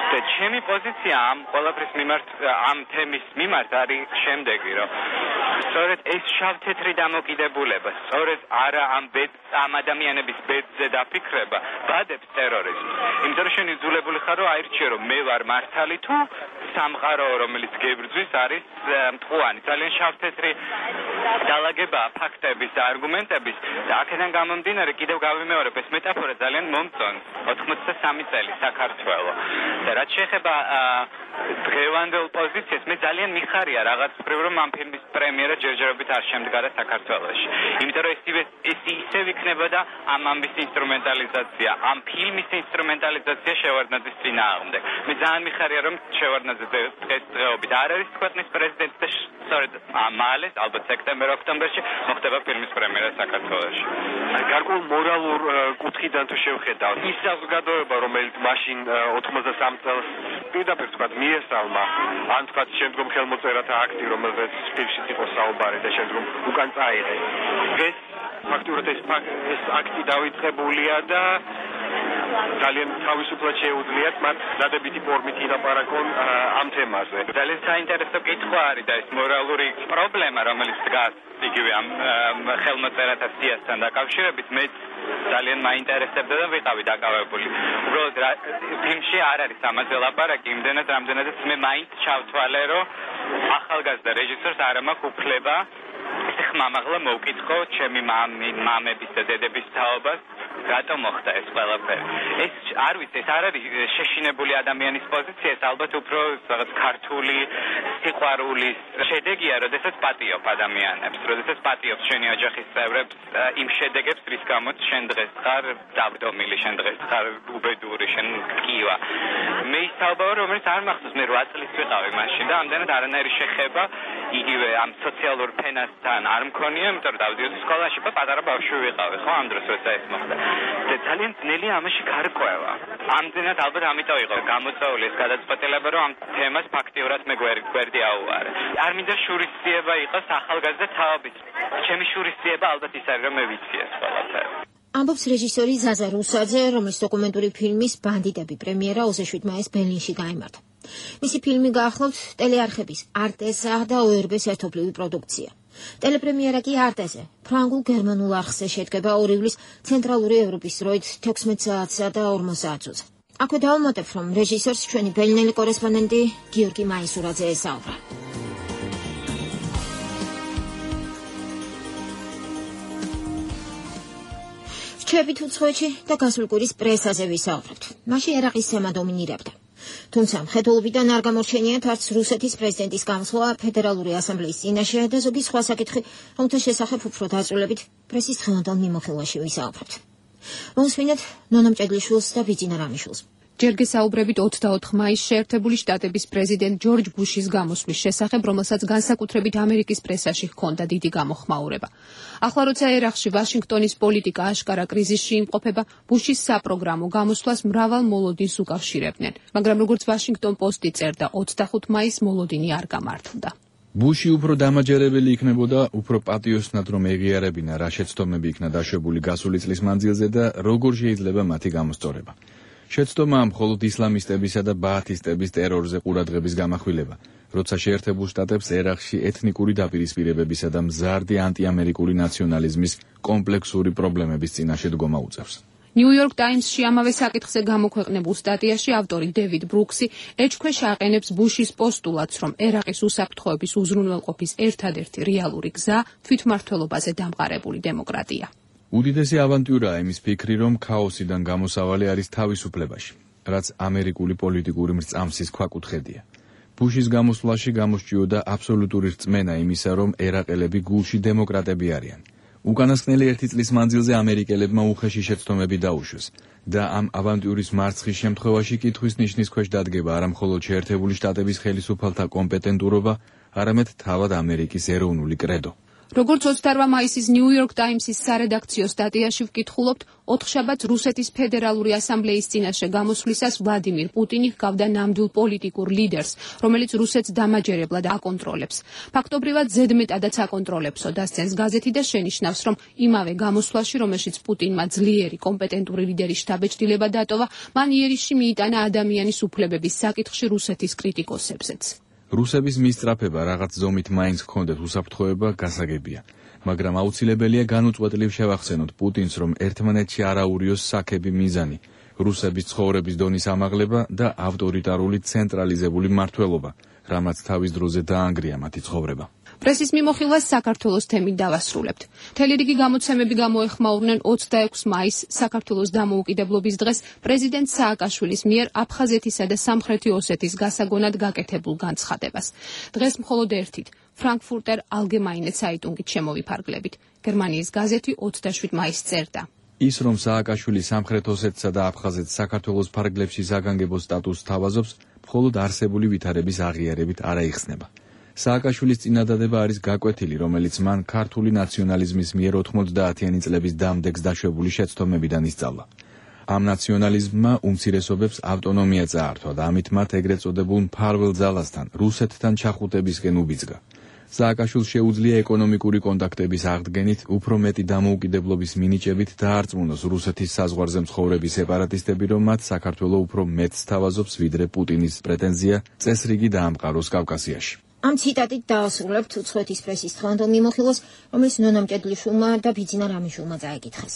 და ჩემი პოზიცია ამ ყველაფრის მიმართ, ამ თემის მიმართ არის შემდეგი, რომ სწორედ ეს შავ-თეთრი დამოკიდებულება, სწორედ არა ამ ადამიანების ბედზე დაფიქრება, ბადებს ტერორიზმს. იმიტომ რომ შენ იძულებული ხარ, რომ აირჩიო, რომ მე ვარ მართალი თუ სამყარო, რომელიც გებრძვის, არის მტყუანი. ძალიან შავ-თეთრი დალაგებაა ფაქტების და არგუმენტების და აქედან გამომდინარე კიდევ გავიმეორებ, ეს მეტაფორა ძალიან მომწონს. 83 წელი საქართველო. და რაც შეეხება დღევანდელ პოზიციას, მე ძალიან მიხარია რაღაც მხრივ, რომ ამ ფილმის პრემიერა ნებისმიერად ჯერჯერობით არ შემდგარა საქართველოში. იმიტომ რომ ეს ისევ იქნებოდა ამ ამბის ინსტრუმენტალიზაცია, ამ ფილმის ინსტრუმენტალიზაცია შევარდნაძის წინააღმდეგ. მე ძალიან მიხარია რომ შევარდნაძე დღესდღეობით არ არის ქვეყნის პრეზიდენტი და სწორედ მალე, ალბათ სექტემბერ-ოქტომბერში მოხდება ფილმის პრემიერა საქართველოში. გარკვეულ მორალურ კუთხიდან თუ შევხედავთ, ის საზოგადოება, რომელიც მაშინ 83 წელს პირდაპირ თქვა მიესალმა, ან თქვა შემდგომ ხელმოწერათა აქტი, რომელზეც ფილმშიც იყო საუბარი და შემდგომ უკან წაიღეს. დღეს ფაქტურად ეს აქტი დავიწყებულია და ძალიან თავისუფლად შეუძლიათ მათ დადებითი ფორმით ილაპარაკონ ამ თემაზე. ძალიან საინტერესო კითხვა არის და ეს მორალური პრობლემა, რომელიც დგას იგივე ამ ხელმოწერათა სიასთან დაკავშირებით, მე ძალიან მაინტერესებდა და ვიყავი დაკავებული. უბრალოდ ფილმში არ არის ამაზე ლაპარაკი, იმდენად რამდენადაც მე მაინც ჩავთვალე, რომ ახალგაზრდა რეჟისორს არ მაქვს უფლება ხმამაღლა მოვკითხო ჩემი მამების და დედების თაობას, რატომ მოხდა ეს ყველაფერი. ეს არ ვიცი, ეს არ არის შეშინებული ადამიანის პოზიცია, ეს ალბათ უფრო რაღაც ქართული სიყვარულის შედეგია, როდესაც პატიობ ადამიანებს, როდესაც პატიობს შენი ოჯახის წევრებს იმ შედეგებს, რის გამოც შენ დღეს ხარ დავდომილი, შენ დღეს ხარ უბედური, შენ გკივა. მე ის თაობა, რომელიც არ მახსოვს, მე 8 წლის ვიყავი მაშინ და ამდენად არანაირი შეხება იგივე ამ სოციალურ ფენასთან არ მქონია, იმიტომ რომ დავდიოდი სკოლაში და პატარა ბავშვი ვიყავი, ხო, ამ დროს როცა ეს მოხდა. და ძალიან ძნელია ამაში გარკვევა. ამდენად ალბათ ამიტომ იყო გამოწვეული ეს გადაწყვეტილება, რომ ამ თემას ფაქტიურად მე გვერდი აუვარე. არ მინდა შურისძიება იყოს ახალგაზრდა თაობით. ჩემი შურისძიება ალბათ ის არის, რომ მე ვიცი ეს ყველაფერი. ამბობს რეჟისორი ზაზა რუსაძე, რომელიც დოკუმენტური ფილმის ბანდიტები პრემიერა 27 მაისს ბერლინში გაიმართა. მისი ფილმი გაახლავთ ტელეარხების არტესა და ORB-ს ერთობლივი პროდუქცია. ტელეპრემიერა კი არტეზე, ფრანგულ-გერმანულ არხზე შედგება 2 ივლის ცენტრალური ევროპის დროით 16 საათსა და 40 საათზე. აქვე დავუმატებ, რომ რეჟისორს ჩვენი ბერლინელი კორესპონდენტი გიორგი მაისურაძე ესაუბრა. რჩებით უცხოეთში და გასულ კვირის პრესაზე ვისაუბრებთ. მაშინ ერაყის თემა დომინირებდა. თუმცა მხედველობიდან არ გამორჩენიათ არც რუსეთის პრეზიდენტის გამოსვლა ფედერალური ასამბლეის წინაშე და ზოგი სხვა საკითხი, რომელთა შესახებ უფრო დაწვრილებით პრესის დღევანდელ მიმოხილვაში ვისაუბრებთ. მოსვინეთ ნონა მჭედლიშვილს და ბიძინა რამიშვილს. ჯერ გესაუბრებით 24 მაისს შეერთებული შტატების პრეზიდენტ ჯორჯ ბუშის გამოსვლის შესახებ, რომელსაც განსაკუთრებით ამერიკის პრესაში ჰქონდა დიდი გამოხმაურება. ახლა როცა ერაყში ვაშინგტონის პოლიტიკა აშკარა კრიზისში იმყოფება, ბუშის საპროგრამო გამოსვლას მრავალ მოლოდინს უკავშირებდნენ, მაგრამ როგორც ვაშინგტონ პოსტი წერდა, 25 მაისს მოლოდინი არ გამართლდა. ბუში უფრო დამაჯერებელი იქნებოდა, უფრო პატიოსნად რომ ეღიარებინა რა შეცდომები იქნა დაშვებული გასული წლის მანძილზე და როგორ შეიძლება მათი გამოსწორება. შეცდომა მხოლოდ ისლამისტებისა და ბაათისტების ტერორზე ყურადღების გამახვილება, როცა შეერთებულ შტატებს ერაყში ეთნიკური დაპირისპირებებისა და მზარდი ანტიამერიკული ნაციონალიზმის კომპლექსური პრობლემების წინაშე დგომა უწევს. New York Times-ში ამავე საკითხზე გამოქვეყნებულ სტატიაში ავტორი დევიდ ბრუქსი ეჭქვეშ აყენებს ბუშის პოსტულატს, რომ ერაყის უსაფრთხოების უზრუნველყოფის ერთადერთი რეალური გზა თვითმმართველობაზე დამყარებული დემოკრატია. უდიდესი ავანტიურაა იმის ფიქრი, რომ ქაოსიდან გამოსავალი არის თავისუფლებაში, რაც ამერიკული პოლიტიკური მრწამსის ქვაკუთხედია. ბუშის გამოსვლაში გამოსჭიოდა აბსოლუტური რწმენა იმისა, რომ ერაყელები გულში დემოკრატები არიან. უკანასკნელი 1 წლის მანძილზე ამერიკელებმა უხეში შეცდომები დაუშვეს და ამ ავანტიურის მარცხის შემთხვევაში კითხვის ნიშნის ქვეშ დადგება არა მხოლოდ შეერთებული შტატების ხელისუფალთა კომპეტენტურობა, არამედ თავად ამერიკის ეროვნული კრედო. როგორც 28 მაისის New York Times-ის სარედაქციო სტატიაში ვკითხულობთ, 4 შაბათს რუსეთის ფედერალური ასამბლეის წინაშე გამოსვლისას ვლადიმირ პუტინი ჰგავდა ნამდვილ პოლიტიკურ ლიდერს, რომელიც რუსეთს დამაჯერებლად აკონტროლებს. ფაქტობრივად ზედმეტადაც აკონტროლებსო, დასცენს გაზეთი და შენიშნავს, რომ იმავე გამოსვლაში, რომელშიც პუტინმა ძლიერი კომპეტენტური ლიდერის შთაბეჭდილება დატოვა, მან იერიშში მიიტანა ადამიანის უფლებების საკითხში რუსეთის კრიტიკოსებზეც. რუსების მისწრაფება რაღაც ზომით მაინც ჰქონდათ უსაფრთხოება გასაგებია, მაგრამ აუცილებელია განუწყვეტლივ შევახსენოთ პუტინს, რომ ერთმანეთში არ აურიოს საქები მიზანი, რუსების ცხოვრების დონის ამაღლება და ავტორიტარული ცენტრალიზებული მმართველობა, რამაც თავის დროზე დაანგრია მათი ცხოვრება. პრესის მიმოხილვას საქართველოს თემით დავასრულებთ. მთელი რიგი გამოცემები გამოეხმაურნენ 26 მაისს საქართველოს დამოუკიდებლობის დღეს პრეზიდენტ სააკაშვილის მიერ აფხაზეთისა და სამხრეთი ოსეთის გასაგონად გაკეთებულ განცხადებას. დღეს მხოლოდ ერთით Frankfurter Allgemeine Zeitung-ით შემოვიფარგლებით. გერმანიის გაზეთი 27 მაისს წერდა. ის რომ სააკაშვილი სამხრეთ ოსეთსა და აფხაზეთს საქართველოს ფარგლებში საგანგებო სტატუსს თავაზობს, მხოლოდ არსებული ვითარების აღიარებით არ აიხსნება. სააკაშვილის წინადადება არის გაკვეთილი, რომელიც მან ქართული ნაციონალიზმის მიერ 90-იანი წლების დამდეგს დაშვებული შეცდომებიდან ისწავლა. ამ ნაციონალიზმმა უმცირესობებს ავტონომია წაართვა და ამით მათ ეგრეთ წოდებულ მფარველ ძალასთან, რუსეთთან ჩახუტებისკენ უბიძგა. სააკაშვილს შეუძლია ეკონომიკური კონტაქტების აღდგენით, უფრო მეტი დამოუკიდებლობის მინიჭებით დაარწმუნოს რუსეთის საზღვარზე მცხოვრები სეპარატისტები, რომ მათ საქართველოს უფრო მეტს თავაზობს, ვიდრე პუტინის პრეტენზია წესრიგი დაამყაროს კავკასიაში. ამ ციტატით დაასრულებთ უცხოეთის პრესის დღევანდელ მიმოხილვას, რომელიც ნონა მჭედლიშვილმა და ბიძინა რამიშვილმა წაეკითხეს.